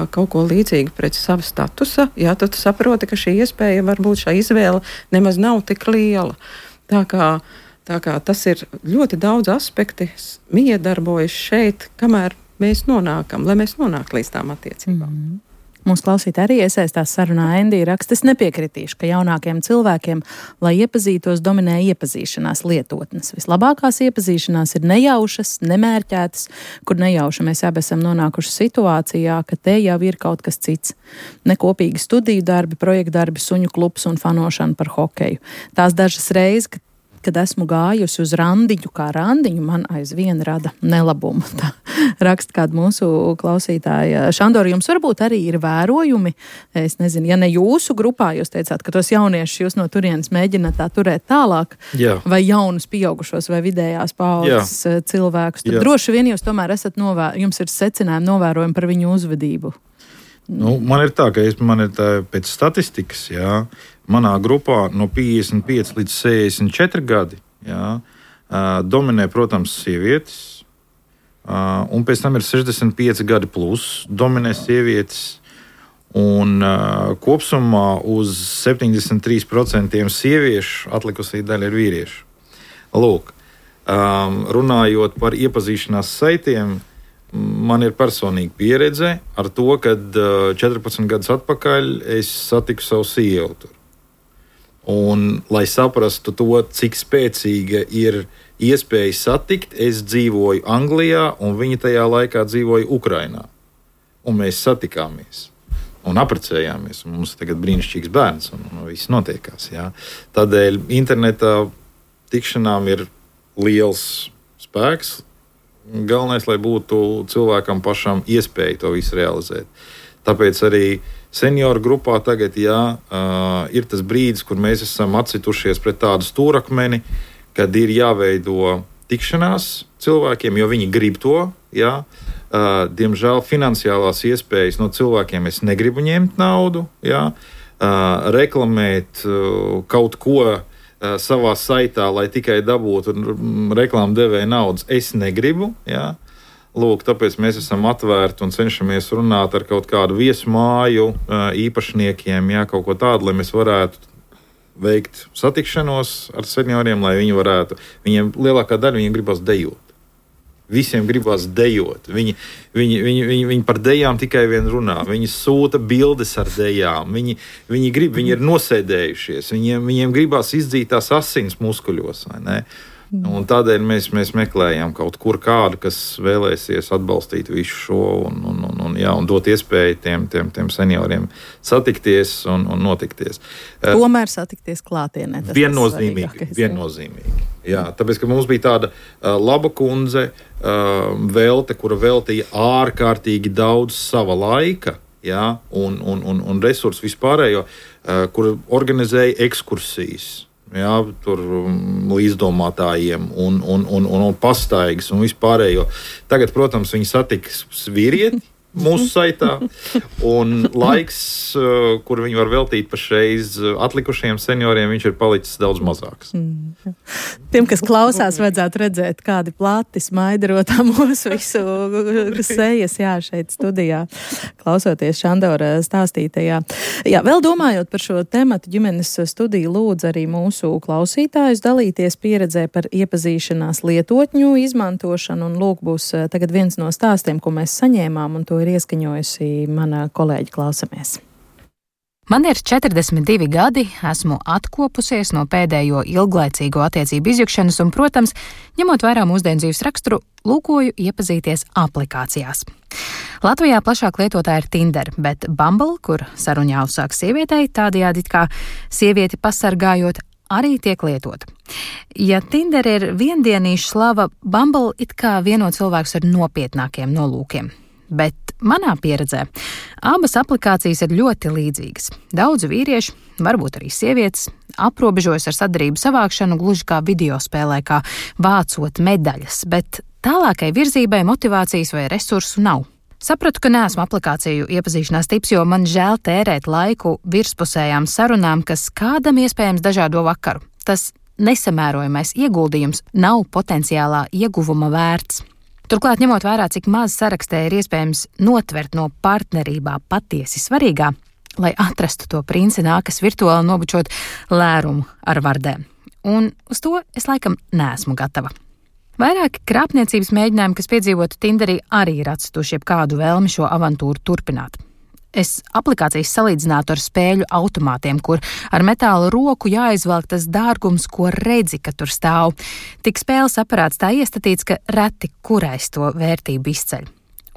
[SPEAKER 4] kaut ko līdzīgu pret sava statusa, tad tu saproti, ka šī iespēja, varbūt šī izvēle nemaz nav tik liela. Tā kā tas ir ļoti daudz aspekti, miedarbojas šeit, kamēr mēs nonākam, lai mēs nonāktu līdz tām attiecībām.
[SPEAKER 3] Mūsu klausītāji arī iesaistās sarunā. Endija raksta, es nepiekritīšu, ka jaunākiem cilvēkiem, lai iepazītos, dominē iepazīšanās lietotnes. Vislabākās iepazīšanās ir nejaušas, nemērķētas, kur nejauši mēs abi esam nonākuši situācijā, ka te jau ir kaut kas cits. Nekopīgi studiju darbi, projektu darbi, suņu klubs un fanošana par hokeju. Tās dažas reizes, kad esmu gājusi uz randiņu, kā randiņu, man aizvien rada nelabumu. Tā raksta kāda mūsu klausītāja. Šandor, jums varbūt arī ir vērojumi, es nezinu, ja ne jūsu grupā, jūs teicāt, ka tos jauniešus jūs no turienes mēģināt tā turēt tālāk, vai jaunus pieaugušos vai vidējās paaudzes cilvēkus, tad droši vien jūs tomēr esat jums ir secinājumi novērojumi par viņu uzvedību.
[SPEAKER 5] Man ir tā, ka pēc statistikas, manā grupā no 55 līdz 64 gadi dominē, protams, sievietes, un pēc tam ir 65 gadi plus, dominē sievietes, un kopsumā uz 73% sieviešu atlikusī daļa ir vīrieši. Lūk, runājot par iepazīšanās saitiem, man ir personīga pieredze ar to, kad 14 gadus atpakaļ es satiku savu sievu tur. Un, lai saprastu to, cik spēcīga ir iespēja satikt. Es dzīvoju Anglijā, un viņa tajā laikā dzīvoja Ukrainā. Un mēs satikāmies un apprecējāmies. Un mums tagad brīnišķīgs bērns, un viss notiekās. Jā. Tādēļ internetā tikšanām ir liels spēks. Galvenais, lai būtu cilvēkam pašam iespēja to visu realizēt. Tāpēc arī senioru grupā tagad ir tas brīdis, kur mēs esam atcitušies pret tādu stūrakmeni, kad ir jāveido tikšanās cilvēkiem, jo viņi grib to. Jā. Diemžēl finansiālās iespējas no cilvēkiem es negribu ņemt naudu, jā. Reklamēt kaut ko savā saitā, lai tikai dabūtu reklāmu devēja naudas, es negribu. Jā. Lūk, tāpēc mēs esam atvērti un cenšamies runāt ar kaut kādu viesmāju īpašniekiem, jā, kaut ko tādu, lai mēs varētu veikt satikšanos ar senioriem, lai viņi varētu, viņiem lielākā daļa viņiem gribas dejot. Visiem gribas dejot. Viņi par dejām tikai vien runā. Viņi sūta bildes ar dejām. Viņi grib, viņi ir nosēdējušies. Viņiem gribas izdzīt tās asins muskuļos, vai ne? Un tādēļ mēs meklējam kaut kur kādu, kas vēlēsies atbalstīt visu šo un dot iespēju tiem senioriem satikties un notikties.
[SPEAKER 3] Tomēr satikties klātienē.
[SPEAKER 5] Viennozīmīgi. Jā, tāpēc, ka mums bija tāda laba kundze, kura veltīja ārkārtīgi daudz sava laika, jā, un resursu vispārējo, kura organizēja ekskursijas. Jā, tur līdzdomātājiem un pastaigas un vispārējo. Tagad, protams, viņi satiks vīrieti mūsu saitā, un laiks, kur viņi var veltīt pašreiz atlikušajiem senioriem, viņš ir palicis daudz mazāks.
[SPEAKER 3] Tiem, kas klausās, vajadzētu redzēt, kādi plati smaidarotā mūsu visu sejas, jā, šeit studijā, klausoties Šandora stāstītajā. Jā, vēl domājot par šo tematu, ģimenes studiju lūdz arī mūsu klausītājus dalīties pieredzē par iepazīšanās lietotņu izmantošanu, un lūk, būs tagad viens no stāstiem, ko mēs saņēmām, un to ir ieskaņojusi mana kolēģi. Klausamies.
[SPEAKER 7] Man ir 42 gadi, esmu atkopusies no pēdējo ilglaicīgo attiecību izjukšanas un, protams, ņemot vērā mūsdienu dzīves raksturu, lūkoju iepazīties aplikācijās. Latvijā plašāk lietotāja ir Tinder, bet Bumble, kur sarunu jāuzsāk sievietei, tādējādi it kā sievieti pasargājot, arī tiek lietota. Ja Tinder ir viendienīša slava, Bumble it kā vieno cilvēkus ar nopietnākiem nolūkiem. Bet manā pieredzē abas aplikācijas ir ļoti līdzīgas. Daudzi vīrieši, varbūt arī sievietes, aprobežojas ar sadarību savākšanu gluži kā videospēlē, kā vācot medaļas, bet tālākai virzībai motivācijas vai resursu nav. Sapratu, ka neesmu aplikāciju iepazīšanās tips, jo man žēl tērēt laiku virspusējām sarunām, kas kādam iespējams dažādo vakaru. Tas nesamērojamais ieguldījums nav potenciālā ieguvuma vērts. Turklāt, ņemot vērā, cik maz sarakstē ir iespējams notvert no partnerībā patiesi svarīgā, lai atrastu to princi, nākas virtuāli nobučot lērumu ar vardēm. Un uz to es laikam neesmu gatava. Vairāki krāpniecības mēģinājumi, kas piedzīvotu Tinderī, arī ir atstuši jebkādu vēlmi šo avantūru turpināt. Es aplikācijas salīdzinātu ar spēļu automātiem, kur ar metāla roku jāizvelk tas dārgums, ko redzi, ka tur stāv. Tik spēles aparāts tā iestatīts, ka reti kurais to vērtību izceļ.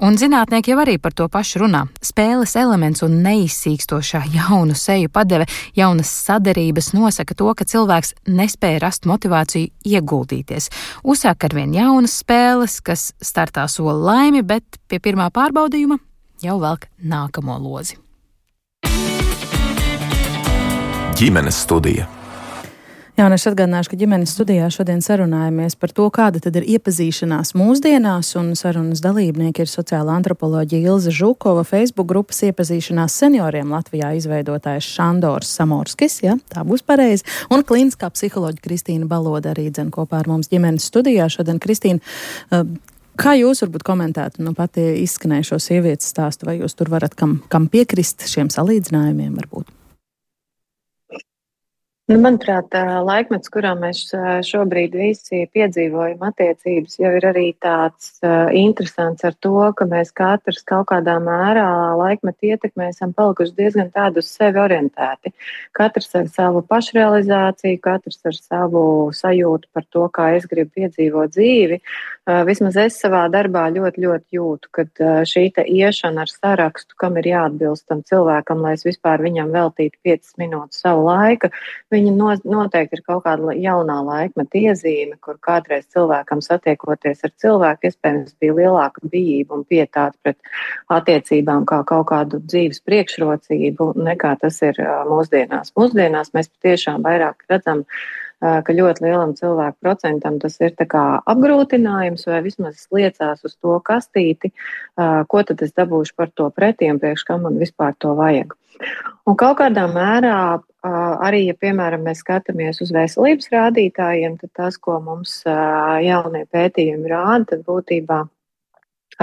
[SPEAKER 7] Un zinātnieki jau arī par to pašu runā. Spēles elements un neizsīkstošā jaunu seju padeve, jaunas sadarības nosaka to, ka cilvēks nespēja rast motivāciju ieguldīties. Uzsāk arvien jaunas spēles, kas startā sola laimi, bet pie pirmā pārbaudījuma jau velk nākamo lozi.
[SPEAKER 2] Ģimenes studija.
[SPEAKER 3] Jā, un es atgādināšu, ka ģimenes studijā šodien sarunājamies par to, kāda tad ir iepazīšanās mūsdienās, un sarunas dalībnieki ir sociāla antropoloģija Ilze Žukova, Facebook grupas iepazīšanās senioriem Latvijā izveidotājs Šandors Samorskis, ja, tā būs pareizi, un klīniskā psiholoģa Kristīna Baloda arī dzen kopā ar mums ģimenes studijā. Šodien, Kristīna, kā jūs varbūt komentētu pati izskanējušo sievietes stāstu, vai jūs tur varat kam piekrist šiem salīdzinājumiem varbūt?
[SPEAKER 6] Manuprāt, laikmets, kurā mēs šobrīd visi piedzīvojam attiecības, jau ir arī tāds interesants ar to, ka mēs katrs kaut kādā mērā laikmetu ietekmē esam palikuši diezgan tādu uz sevi orientēti. Katrs ar savu pašrealizāciju, katrs ar savu sajūtu par to, kā es gribu piedzīvot dzīvi. Vismaz es savā darbā ļoti jūtu, kad šī te iešana ar sarakstu, kam ir jāatbilst tam cilvēkam, lai es vispār viņam veltītu 5 minūtes savu laiku, viņa noteikti ir kaut kāda jaunā laikmeta iezīme, kur kādreiz cilvēkam satiekoties ar cilvēku, iespējams, bija lielāka bijība un pietāta pret attiecībām kā kaut kādu dzīves priekšrocību, nekā tas ir mūsdienās. Mūsdienās mēs patiešām vairāk redzam, ka ļoti lielam cilvēku procentam tas ir tā kā apgrūtinājums vai vismaz liecās uz to kastīti, ko tad es dabūšu par to pretī un priekš kam man vispār to vajag. Un kaut kādā mērā arī, ja, piemēram, mēs skatāmies uz veselības rādītājiem, tad tas, ko mums jaunie pētījumi rāda, tad būtībā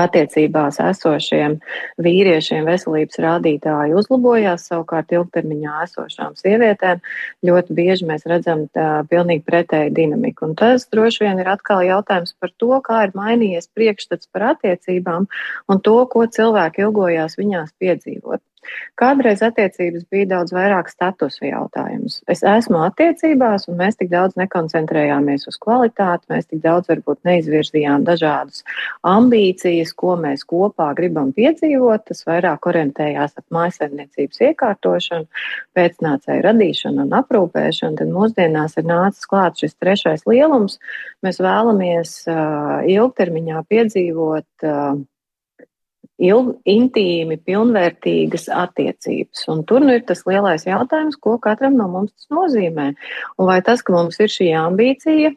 [SPEAKER 6] attiecībās esošiem vīriešiem veselības rādītāji uzlabojās, savukārt ilgtermiņā esošām sievietēm ļoti bieži mēs redzam pilnīgi pretēju dinamiku. Un tas droši vien ir atkal jautājums par to, kā ir mainījies priekšstats par attiecībām un to, ko cilvēki ilgojās viņās piedzīvot. Kādreiz attiecības bija daudz vairāk statusu jautājums. Es esmu attiecībās, un mēs tik daudz nekoncentrējāmies uz kvalitāti, mēs tik daudz varbūt neizvirzījām dažādas ambīcijas, ko mēs kopā gribam piedzīvot. Tas vairāk orientējās ap mājsaimniecības iekārtošanu, pēcnācēju radīšanu un aprūpēšanu. Tad mūsdienās ir nācis klāt šis trešais lielums. Mēs vēlamies ilgtermiņā piedzīvot intīmi, pilnvērtīgas attiecības. Un tur ir tas lielais jautājums, ko katram no mums tas nozīmē. Un vai tas, ka mums ir šī ambīcija,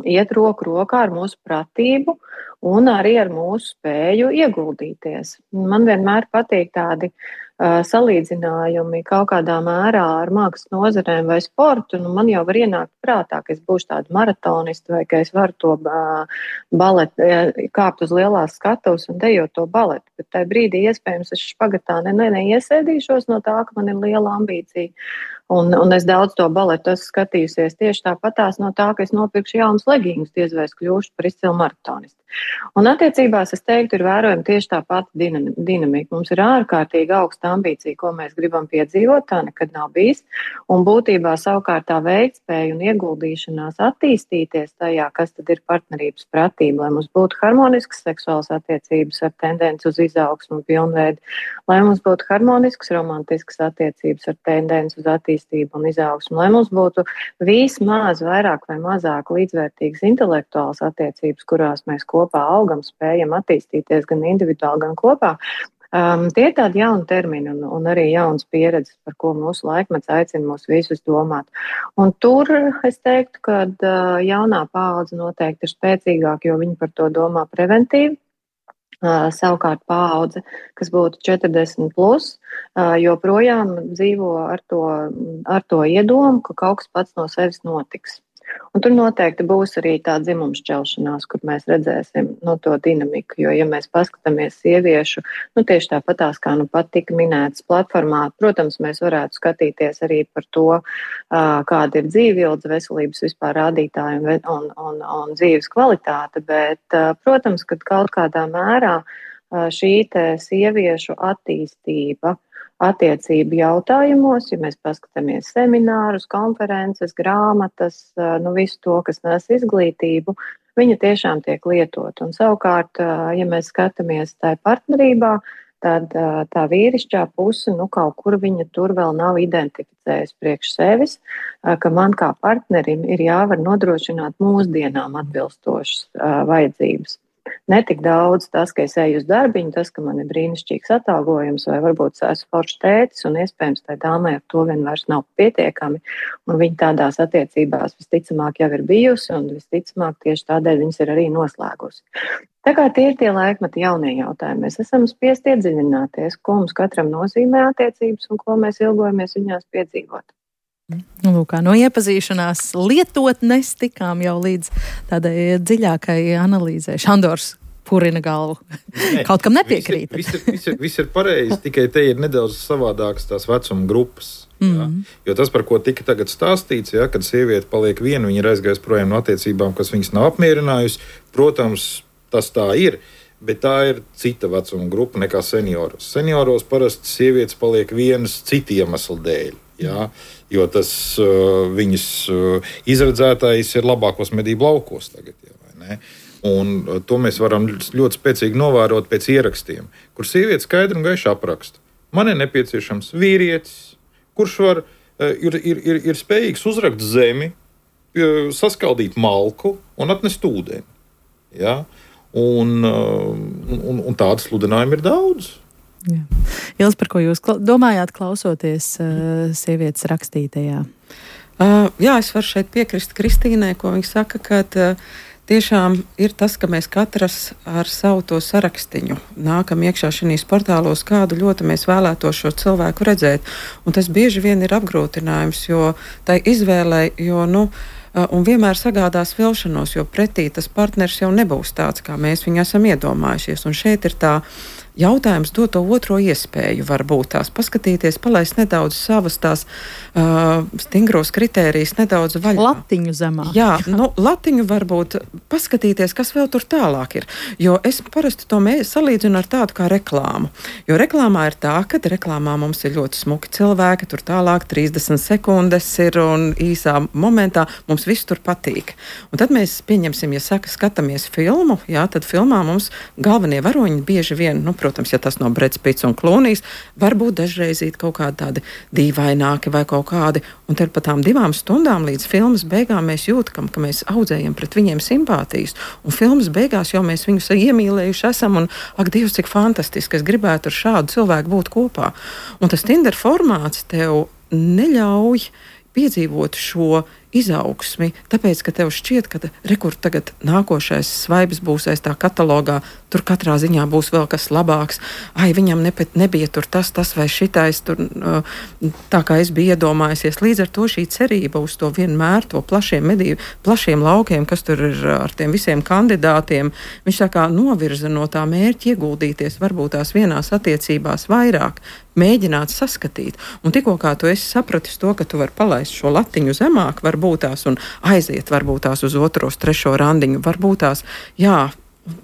[SPEAKER 6] iet roku rokā ar mūsu pratību un arī ar mūsu spēju ieguldīties. Man vienmēr patīk tādi salīdzinājumi kaut kādā mērā ar mākslas nozarēm vai sportu. Nu, man jau var ienākt prātā, ka es būšu tāda maratonista vai ka es varu to baletu, kāpt uz lielās skatuves un dejot to baletu. Bet tajā brīdī iespējams es špagatā neiesēdīšos no tā, ka man ir liela ambīcija. Un es daudz to baletu esmu skatījusies tieši tāpatās no tā, ka es nopirkšu jaunas legingus, diez vai es kļūšu par izcilu maratonistu. Un attiecībās, es teiktu, ir vērojama tieši tā pati dinamika. Mums ir ārkārtīgi augsta ambīcija, ko mēs gribam piedzīvot, tā nekad nav bijis. Un būtībā savukārt tā veiktspēja un ieguldīšanās attīstīties tajā, kas tad ir partnerības pratība, lai mums būtu harmoniskas seksuālas attiecības ar tendenci uz izaugsmu un pilnveidi, lai mums būtu harmoniskas romantiskas attiecības ar tendenci uz attīstību un izaugsmu, lai mums būtu vismaz vairāk vai mazāk līdzvērtīgas intelektuālas attiecības, kurās mēs kopā augam, spējam attīstīties gan individuāli, gan kopā. Tie ir tādi jauni termini un arī jaunas pieredzes, par ko mūsu laikmets aicina mūs visus domāt. Un tur es teiktu, ka jaunā paudze noteikti ir spēcīgāka, jo viņi par to domā preventīvi. Savukārt paudze, kas būtu 40 plus, joprojām dzīvo ar to iedomu, ka kaut kas pats no sevis notiks. Un tur noteikti būs arī tā dzimuma šķelšanās, kur mēs redzēsim to dinamiku, jo, ja mēs paskatāmies sieviešu, tieši tāpatās, kā pat tika minētas platformā, protams, mēs varētu skatīties arī par to, kāda ir dzīvildze, veselības vispār rādītāji un dzīves kvalitāte, bet, protams, ka kaut kādā mērā šī te sieviešu attīstība attiecību jautājumos, ja mēs paskatāmies seminārus, konferences, grāmatas, visu to, kas nes izglītību, viņa tiešām tiek lietot. Un savukārt, ja mēs skatāmies tajā partnerībā, tad tā vīrišķā puse, kaut kur viņa tur vēl nav identificējusi priekš sevis, ka man kā partnerim ir jāvar nodrošināt mūsdienām atbilstošas vajadzības. Ne tik daudz tas, ka es eju uz darbiņu, tas, ka man ir brīnišķīgs atalgojums, vai varbūt es esmu foršs tētis, un iespējams tai dāmai ar to vien vairs nav pietiekami, un viņa tādās attiecībās visticamāk jau ir bijusi, un visticamāk tieši tādēļ viņas ir arī noslēgusi. Tā kā tie ir tie laikmeti jaunie jautājumi, mēs esam spiest iedziļināties, ko mums katram nozīmē attiecības un ko mēs ilgojamies viņās piedzīvot.
[SPEAKER 3] Lūk, no iepazīšanās lietotnes tikām jau līdz tādai dziļākai analīzē. Šandors purina galvu. Kaut kam nepiekrīt.
[SPEAKER 5] Viss ir pareizi, tikai te ir nedaudz savādākas tās vecuma grupas. Ja? Jo tas, par ko tika tagad stāstīts, ja, kad sieviete paliek viena, viņa ir aizgājusi projām no attiecībām, kas viņas nav apmierinājusi, protams, tas tā ir, bet tā ir cita vecuma grupa nekā senioros. Senioros parasti sievietes paliek vienas citu iemeslu dēļ. Ja? Jo tas viņas izredzētais ir labākos medību laukos tagad. Ja, vai ne? Un to mēs varam ļoti spēcīgi novērot pēc ierakstiem, kur sieviete skaidri un gaiši apraksta. Man ir nepieciešams vīrietis, kurš ir spējīgs uzrakt zemi, saskaldīt malku un atnest ūdeni. Ja? Un tādu sludinājumu ir daudz.
[SPEAKER 3] Jā. Ils, par ko jūs domājāt, klausoties sievietes rakstītajā?
[SPEAKER 4] Jā, es varu šeit piekrist Kristīnai, ko viņa saka, ka tiešām ir tas, ka mēs katrs ar savu to sarakstiņu nākam iekšā šajos portālos, kādu ļoti mēs vēlētos šo cilvēku redzēt. Un tas bieži vien ir apgrūtinājums, jo tai izvēlei, un vienmēr sagādās vilšanos, jo pretī tas partners jau nebūs tāds, kā mēs viņu esam iedomājušies. Un šeit ir tā jautājums dot to otro iespēju, varbūt tās paskatīties, palaist nedaudz savas tās stingros kritērijas nedaudz vaļā.
[SPEAKER 3] Latiņu zemāk.
[SPEAKER 4] Jā, latiņu varbūt paskatīties, kas vēl tur tālāk ir. Jo es parasti to salīdzinu ar tādu kā reklāmu. Jo reklāmā ir tā, ka reklāmā mums ir ļoti smuki cilvēki, tur tālāk 30 sekundes ir un īsā momentā mums viss tur patīk. Un tad mēs pieņemsim, ja skatāmies filmu, jā, tad filmā mums galvenie varoņi bieži vien, protams, ja tas no Breds Pits un Klūnijs, varbūt dažreiz kaut kādi tādi dīvaināki vai kaut kādi. Un tad pat tām 2 stundām līdz filmas beigām mēs jūtam, ka mēs audzējam pret viņiem simpātijas. Un filmas beigās jau mēs viņus iemīlējuši esam un, ak, Dievs, cik fantastiski, es gribētu ar šādu cilvēku būt kopā. Un tas Tinder formāts tev neļauj piedzīvot šo izaugsmi, tāpēc, ka tev šķiet, ka rekur tagad nākošais svaips būs aiz tā katalogā, tur katrā ziņā būs vēl kas labāks, viņam nebija tur tas vai šitais, tur, tā kā es biju iedomājusies. Līdz ar to šī cerība uz to vienmēr, to plašiem laukiem, kas tur ir ar tiem visiem kandidātiem, viņš tā kā novirza no tā mērķa ieguldīties, varbūt tās vienās attiecībās vairāk, mēģināt saskatīt. Un tikko kā tu esi sapratis to, ka tu vari palaist šo latiņu zemāk, varbūt tās un aiziet varbūt tās uz 2., 3. randiņu, varbūt tās, jā,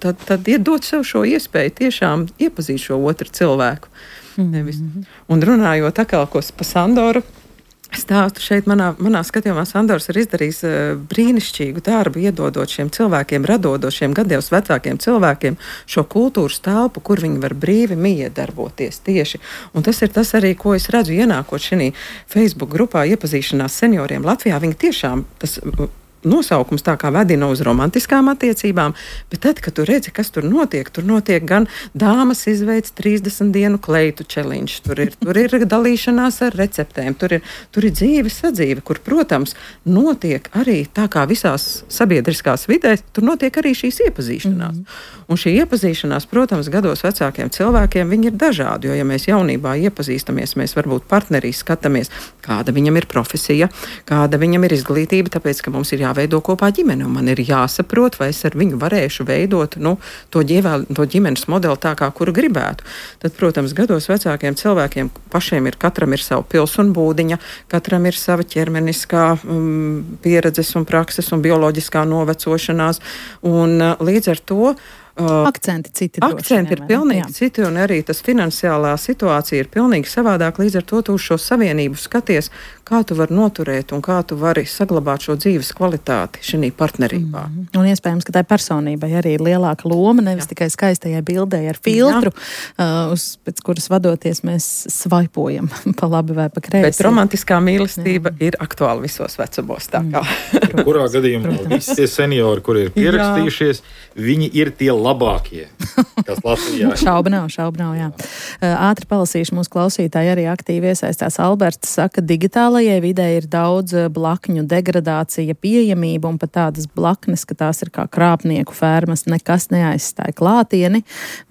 [SPEAKER 4] tad iedot sev šo iespēju tiešām iepazīt šo otru cilvēku. Nevis. Un runājot atkal pa Sandoru, stāstu šeit manā skatījumā Sandors ir izdarījis brīnišķīgu darbu, iedodot šiem cilvēkiem, radot šiem gados vecākiem cilvēkiem šo kultūras telpu, kur viņi var brīvi miedarboties tieši. Un tas ir tas arī, ko es redzu ienākot šī Facebook grupā iepazīšanās senioriem Latvijā. Viņi tiešām tas nosaukums tā kā vedina uz romantiskām attiecībām, bet tad, kad tu redzi, kas tur notiek gan dāmas izveids 30 dienu kleitu challenge, tur ir dalīšanās ar receptēm, tur ir dzīve sadzīve, kur, protams, notiek arī tā kā visās sabiedriskās vidēs, tur notiek arī šīs iepazīšanās. Un šī iepazīšanās, protams, gados vecākiem cilvēkiem, viņi ir dažādi, jo, ja mēs jaunībā iepazīstamies, mēs varbūt partnerī skatāmies, kāda viņam ir profesija, kāda viņam ir izglītība, tāpēc, ka mums ir jāveido kopā ģimene, un man ir jāsaprot, vai es ar viņu varēšu veidot to ģimenes modeli tā, kā kuru gribētu. Tad, protams, gados vecākiem cilvēkiem pašiem katram ir sava pils un būdiņa, katram ir sava ķermeniskā pieredzes un prakses un bioloģiskā novecošanās, un līdz ar to
[SPEAKER 3] akcenti citi.
[SPEAKER 4] Akcenti ir pilnīgi citi, un arī tas finansiālā situācija ir pilnīgi savādāk. Līdz ar to tu uz šo savienību skaties, kā tu vari noturēt un kā tu vari saglabāt šo dzīves kvalitāti šī partnerībā.
[SPEAKER 3] Un iespējams, ka tai personībai arī ir lielāka loma, nevis tikai skaistajai bildei ar filtru, pēc kuras vadoties mēs svaipojam pa labi vai pa kreisi.
[SPEAKER 4] Bet romantiskā mīlestība ir aktuāla visos vecumos.
[SPEAKER 5] Kurā gadījumā visi tie seniori, kuri ir pierakstījušies, viņi ir tie labākie, kas Latvijā.
[SPEAKER 3] Šauba nav, jā. Ātri palasīšu, mūsu klausītāji arī aktīvi iesaistās. Alberts saka, digitālajai vidē ir daudz blakņu degradācija, pieejamība un pat tādas blaknes, ka tās ir kā krāpnieku fermas, nekas neaizstāja klātieni.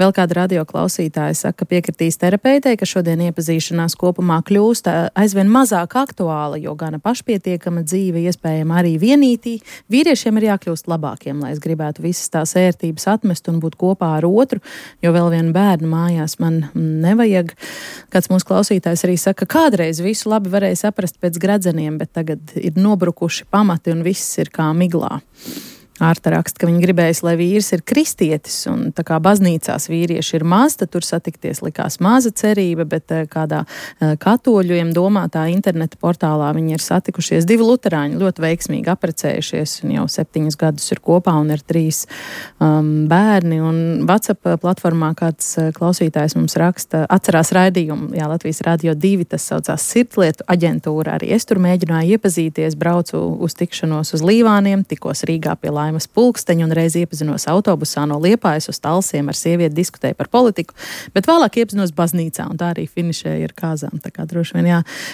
[SPEAKER 3] Vēl kāda radio klausītāja saka, piekritīs terapeitei, ka šodien iepazīšanās kopumā kļūst aizvien mazāk aktuāla, jo gana pašpietiekama dzīve iespējama arī vienītī. Vīriešiem ir jākļūst labākiem, lai es gribētu visas tās ērtības atmest atrast un būt kopā ar otru, jo vēl vienu bērnu mājās man nevajag. Kāds mūsu klausītājs arī saka, kādreiz visu labi varēja saprast pēc gradzeniem, bet tagad ir nobrukuši pamati un viss ir kā miglā. Ārta raksta, ka viņa gribējas, lai vīrs ir kristietis, un tā kā baznīcās vīrieši ir maz, tad tur satikties likās maza cerība, bet kādā katoļiem domātā interneta portālā viņi ir satikušies 2 luterāņi, ļoti veiksmīgi aprecējušies, un jau 7 gadus ir kopā un ir 3 bērni, un WhatsApp platformā kāds klausītājs mums raksta, atcerās raidījumu, Latvijas Radio 2, tas saucās Sirdlietu aģentūra, arī es tur mēģināju iepazīties, braucu uz tikšanos uz Līvāniem, tikos Rīgā pie Laimas Pulksteņa un reiz iepazinos autobusā no Liepājas uz Talsiem, ar sievieti diskutēju par politiku, bet vēlāk iepazinos baznīcā un tā arī finišēja ar kāzām. Tā kā droši vien,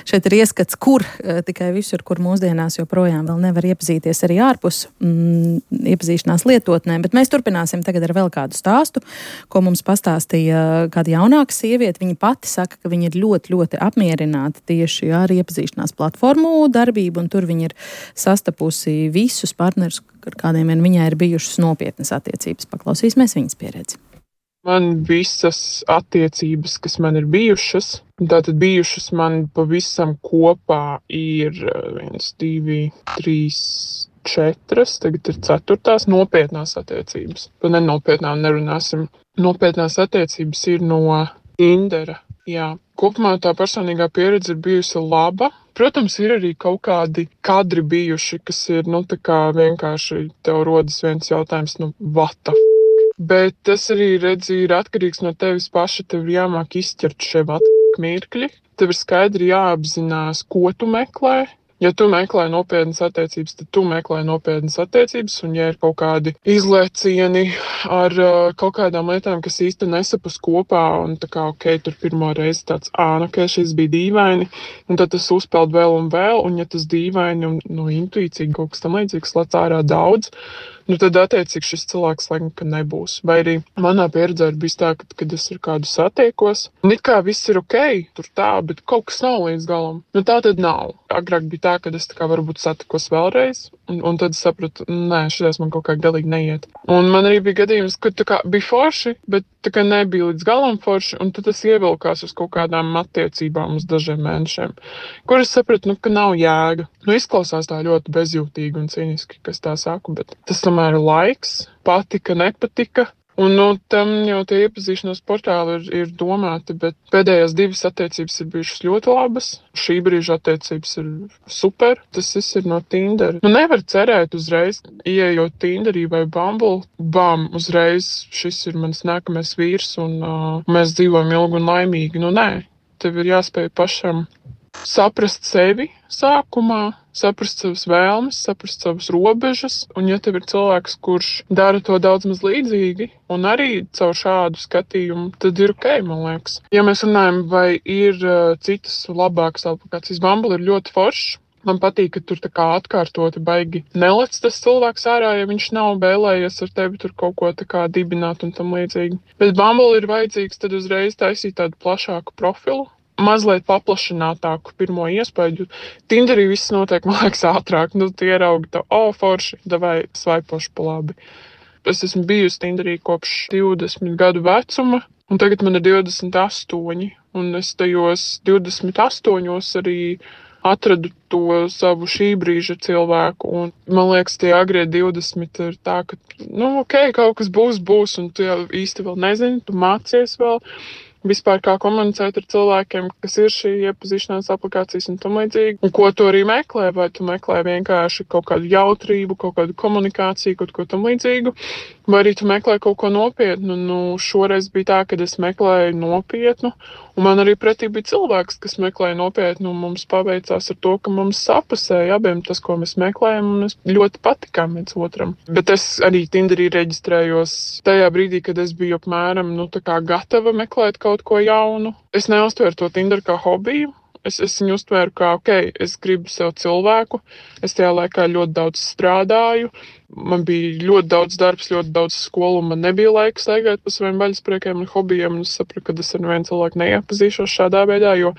[SPEAKER 3] šeit ir ieskats, kur tikai visur, kur mūsdienās joprojām vēl nevar iepazīties arī ārpus iepazīšanās lietotnēm, bet mēs turpināsim tagad ar vēl kādu stāstu, ko mums pastāstīja kāda jaunāka sieviete. Viņa pati saka, ka viņa ir ļoti, ļoti apmierināta tieši ar iepazīšanās platformu darbību, un tur viņa ir sastapusi visus partnerus, ar kādiem viņai ir bijušas nopietnas attiecības. Paklausīsimies viņas pieredzi.
[SPEAKER 8] Man visas attiecības, kas man ir bijušas, tātad bijušas man pavisam kopā ir 1, 2, 3, 4, tagad ir 4. nopietnās attiecības. Par nenopietnām nerunāsim. Nopietnās attiecības ir no Tindera. Jā. Kopumā tā personīgā pieredze ir bijusi laba. Protams, ir arī kaut kādi kadri bijuši, kas ir, tā kā vienkārši tev rodas viens jautājums, what the f***? Bet tas arī, ir atkarīgs no tevis paša, tev ir jāmāk izķert šie mirkļi. Tev ir skaidri jāapzinās, ko tu meklē. Ja tu meklē nopietnas attiecības, tad tu meklē nopietnas attiecības, un ja ir kaut kādi izlēcieni ar kaut kādām lietām, kas īsti nesapus kopā, un tā kā, tur pirmo reizi tāds, šis bija dīvaini, un tad tas uzpeld vēl, un ja tas dīvaini un intuīcīgi kaut kas tam līdzīgs lec ārā daudz, tad attiecīgi šis cilvēks laikam, ka nebūs. Vai arī manā pieredzē ir bijis tā, kad es ar kādu satiekos, un it kā viss ir tur tā, bet kaut kas nav līdz galam. Tā tad nav. Agrāk bija tā, kad es tā kā varbūt satikos vēlreiz, un tad sapratu, nē, šitais man kaut kā galīgi neiet. Un man arī bija gadījums, ka tā kā bija forši, bet tā kā nebija līdz galam forši, un tad tas ievilkās uz kaut kādām attiecībām uz dažiem mēnešiem, kur es sapratu, ka nav jēga. Izklausās tā ļoti bezjūtīgi un cīniski, kas tā saku, bet tas tomēr ir laiks, patika, nepatika. Un tam jau tie iepazīšanās portāli ir domāti, bet pēdējās 2 attiecības ir bijušas ļoti labas. Šī brīža attiecības ir super. Tas viss ir no Tindera. Nevar cerēt uzreiz, ieejot Tinderī vai Bumble, uzreiz šis ir mans nākamais vīrs un mēs dzīvojam ilgi un laimīgi. Nē, tev ir jāspēj pašam saprast sevi sākumā, saprast savas vēlmes, saprast savas robežas, un ja tev ir cilvēks, kurš dara to daudz maz līdzīgi, un arī caur šādu skatījumu, tad ir ok, man liekas. Ja mēs runājam, vai ir citas labākas aplikācijas, Bumble ir ļoti foršs. Man patīk, ka tur tā kā atkārtoti baigi nelec tas cilvēks ārā, ja viņš nav vēlējies ar tevi tur kaut ko tā kā dibināt un tam līdzīgi. Bet Bumble ir vajadzīgs tad uzreiz taisīt tādu plašāku profilu. Mazliet paplašinātāku pirmo iespēju. Tinderī viss notiek, man liekas, ātrāk. Tu ieraugi to, forši, davai svaipoši pa labi. Es esmu bijusi Tinderī kopš 20 gadu vecuma, un tagad man ir 28, un es tajos 28 arī atradu to savu šī brīža cilvēku, un man liekas, tie agrie 20 ir tā, ka, kaut kas būs, un tu jau īsti vēl nezini, tu mācies vēl. Vispār kā komunicēt ar cilvēkiem, kas ir šī iepazīšanās aplikācijas un tam līdzīgi. Un ko tu arī meklē, vai tu meklē vienkārši kaut kādu jautrību, kaut kādu komunikāciju, kaut ko tam līdzīgu, vai arī tu meklē kaut ko nopietnu. Šoreiz bija tā, kad es meklēju nopietnu, un man arī pretī bija cilvēks, kas meklēja nopietnu, un mums paveicās ar to, ka mums sapusēja abiem tas, ko mēs meklējam, un mēs ļoti patikām viens otram. Bet es arī Tinderī reģistrējos tajā brīdī, kad es biju apmēram, gatava meklēt kaut ko jaunu. Es neuztveru to Tinderu kā hobiju, Es viņu uztvēru kā, es gribu sev cilvēku, es tajā laikā ļoti daudz strādāju, man bija ļoti daudz darbs, ļoti daudz skolu, un man nebija laika staigāt pa saviem vaļaspriekiem un hobijiem, un es sapratu, ka es ar vienu cilvēku neiepazīšos šādā veidā, jo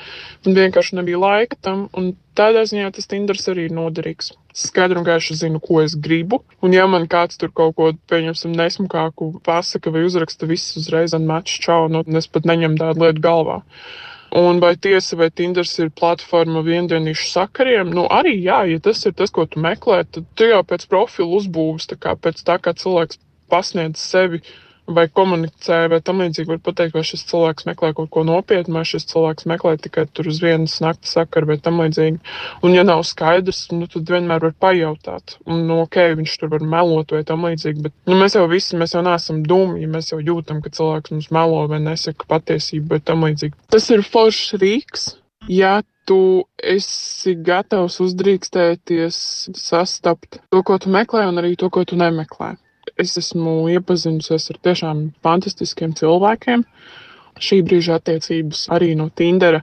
[SPEAKER 8] man vienkārši nebija laika tam, un tādā ziņā tas Tinders arī ir noderīgs. Skaidri un gaiši zinu, ko es gribu, un ja man kāds tur kaut ko, pieņemsim, nesmukāku pasaka vai uzraksta viss uzreiz un match čau, es pat neņemu tādu lietu galvā. Un vai tiesa, vai Tinders ir platforma viendienīšu sakariem? Arī jā, ja tas ir tas, ko tu meklē, tad tu jau pēc profilu uzbūves, pēc tā, kā cilvēks pasniedz sevi vai komunicē, vai tam līdzīgi var pateikt, vai šis cilvēks meklē kaut ko nopietnu, vai šis cilvēks meklē tikai tur uz vienas naktas sakaru, vai tam līdzīgi. Un ja nav skaidrs, tad vienmēr var pajautāt. Un viņš tur var melot vai tam līdzīgi, bet mēs jau neesam dumji, mēs jau jūtam, ka cilvēks mums melo vai nesaka patiesību vai tam līdzīgi. Tas ir foršs rīks, ja tu esi gatavs uzdrīkstēties, sastapt to, ko tu meklē, un arī to, ko tu nemeklē. Es esmu iepazinusies ar tiešām fantastiskiem cilvēkiem. Šī brīža attiecības arī no Tindera.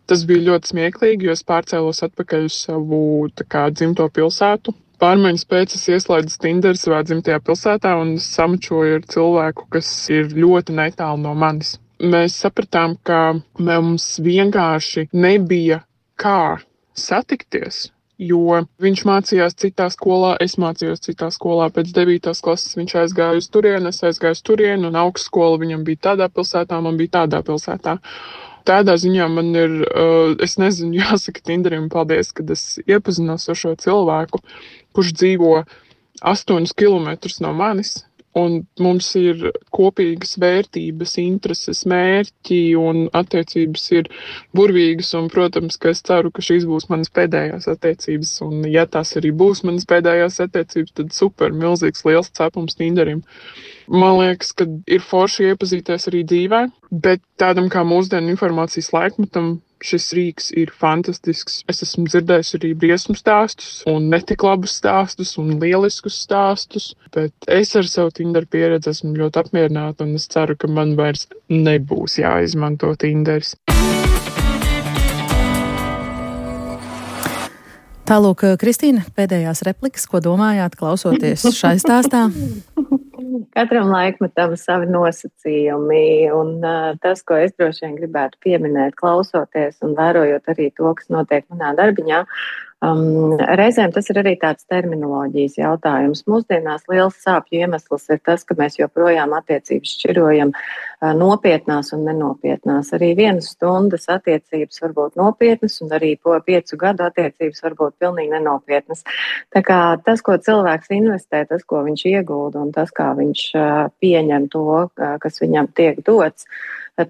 [SPEAKER 8] Tas bija ļoti smieklīgi, jo es pārcēlos atpakaļ uz savu dzimto pilsētu. Pārmaiņas pēc es ieslēdzu Tinderu savā dzimtajā pilsētā un samačoju ar cilvēku, kas ir ļoti netālu no manis. Mēs sapratām, ka mums vienkārši nebija kā satikties. Jo viņš mācījās citā skolā, es mācījos citā skolā. Pēc 9. klases viņš aizgāja uz turieni, es aizgāju uz turieni, un augstskola viņam bija tādā pilsētā, man bija tādā pilsētā. Tādā ziņā man ir, es nezinu, jāsaka Tinderim paldies, kad es iepazinos ar šo cilvēku, kurš dzīvo 8 kilometrus no manis. Un mums ir kopīgas vērtības, intereses, mērķi un attiecības ir burvīgas. Un, protams, ka es ceru, ka šīs būs manas pēdējās attiecības. Un, ja tās arī būs manas pēdējās attiecības, tad super, milzīgs, liels cepums Tinderim. Man liekas, ka ir forši iepazīties arī dzīvē, bet tādam kā mūsdienu informācijas laikmetam šis rīks ir fantastisks. Es esmu dzirdējis arī briesmu stāstus un netik labus stāstus un lieliskus stāstus, bet es ar savu Tinder pieredzi esmu ļoti apmierināta un es ceru, ka man vairs nebūs jāizmanto Tinders.
[SPEAKER 3] Tālūk, Kristīna, pēdējās replikas, ko domājāt, klausoties šai stāstā?
[SPEAKER 6] Katram laikmetam savi nosacījumi, un tas, ko es droši vien gribētu pieminēt, klausoties un vērojot arī to, kas notiek manā darbiņā, reizēm tas ir arī tāds terminoloģijas jautājums. Mūsdienās liels sāpju iemesls ir tas, ka mēs joprojām attiecības šķirojam nopietnās un nenopietnās. Arī 1 stundas attiecības var būt nopietnas, un arī 5 gadu attiecības var būt pilnīgi nenopietnas. Tā kā tas, ko cilvēks investē, tas, ko viņš iegulda un tas, kā viņš pieņem to, kas viņam tiek dots,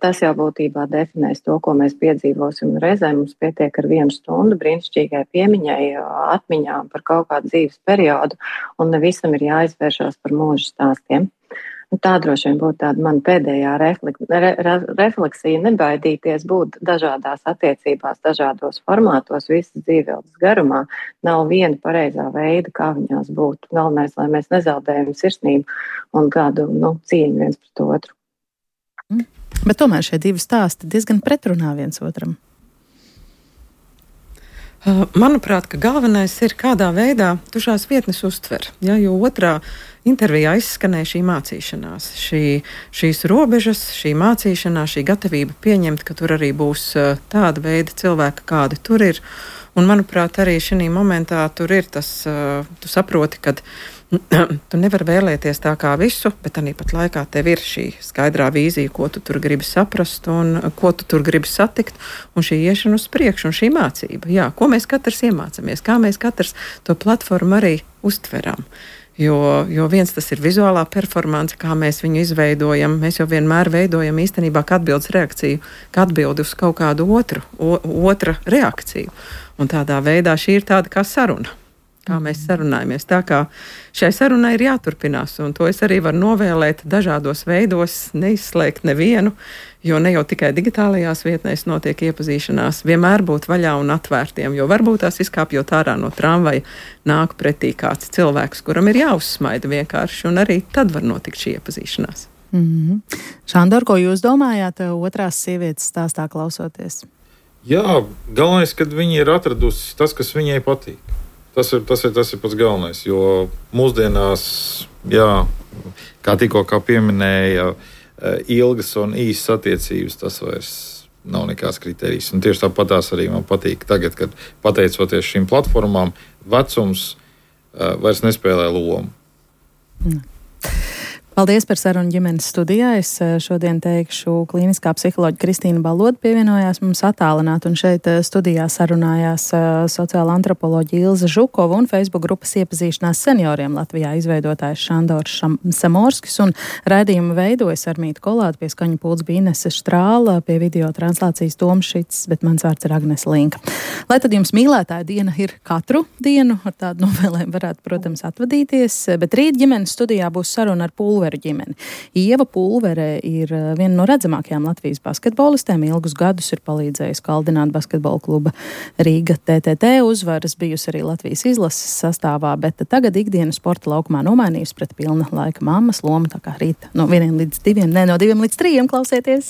[SPEAKER 6] tas jau būtībā definēs to, ko mēs piedzīvosim. Reizēm mums pietiek ar 1 stundu brīnišķīgai piemiņai, atmiņām par kaut kādu dzīves periodu, un ne visam ir jāizvēršās par mūža stāstiem. Tā droši vien būtu tāda mana pēdējā refleksija, nebaidīties būt dažādās attiecībās, dažādos formātos, visas dzīveildes garumā. Nav viena pareizā veida, kā viņās būt. Galvenais, lai mēs nezaudējam sirsnību un kādu cieņu viens pret otru.
[SPEAKER 3] Bet tomēr šie 2 stāsti diezgan pretrunā viens otram.
[SPEAKER 4] Manuprāt, ka galvenais ir, kādā veidā tu šās vietnes uztver. Ja, jo otrā intervijā izskanēja šī mācīšanās, šīs robežas, šī mācīšanās, šī gatavība pieņemt, ka tur arī būs tāda veida cilvēki, kādi tur ir. Un, manuprāt, arī šī momentā tur ir tas, tu saproti, ka tu nevari vēlēties tā kā visu, bet arī pat laikā tev ir šī skaidrā vīzija, ko tu tur gribi saprast un ko tu tur gribi satikt, un šī iešana uz priekšu un šī mācība. Jā, ko mēs katrs iemācāmies, kā mēs katrs to platformu arī uztveram. Jo viens tas ir vizuālā performance, kā mēs viņu izveidojam. Mēs jau vienmēr veidojam īstenībā kā atbildes reakciju, kā atbildi uz kaut kādu otra reakciju. Un tādā veidā šī ir tāda kā saruna. Kā mēs sarunājamies. Tā kā šai sarunai ir jāturpinās, un to es arī varu novēlēt dažādos veidos, neizslēgt nevienu, jo ne jau tikai digitālajās vietnēs notiek iepazīšanās, vienmēr būt vaļā un atvērtiem, jo varbūt tās izkāpjot ārā no tramvaja, nāk pretī kāds cilvēks, kuram ir jāuzsmaida vienkārši, un arī tad var notikt šī iepazīšanās.
[SPEAKER 3] Šandor, ko jūs domājāt otrās sievietes stāstā klausoties?
[SPEAKER 5] Jā, galvenais, kad viņi ir atradusi tas, kas viņai patīk. Tas ir pats galvenais, jo mūsdienās, jā, kā tikko pieminēja, ilgas un īsas attiecības, tas vairs nav nekāds kriterijs. Un tieši tāpatās arī man patīk tagad, kad pateicoties šīm platformām, vecums vairs nespēlē lomu.
[SPEAKER 3] Paldies par sarunu ģimenes studijā. Es šodien teikšu, klīniskā psiholoģa Kristīna Baloda pievienojās mums attālināt, un šeit studijā sarunājās sociāla antropoloģa Ilze Žukova un Facebook grupas iepazīšanās senioriem Latvijā izveidotājs Šandors Samorskis, un raidījumu veidojas Armīta Kolāte, pie skaņu pults bija Inese Štrāla, pie video translācijas Toms Šits, bet mans vārds ir Agnese Linka. Lai tad jums mīlētāja diena ir katru dienu, ar tādu novēlēm varētu, protams, atvadīties, bet rīt ģimenes studijā būs saruna ar Pulveru ģimeni. Ieva Pulvere ir viena no redzamākajām Latvijas basketbolistēm. Ilgus gadus ir palīdzējusi kaldināt basketbola kluba Rīga TTT uzvaras, bijusi arī Latvijas izlases sastāvā, bet tagad ikdienu sporta laukumā nomainījusi pret pilna laika mammas lomu, tā kā rīt no 1 līdz 2, no 2 līdz 3 klausieties.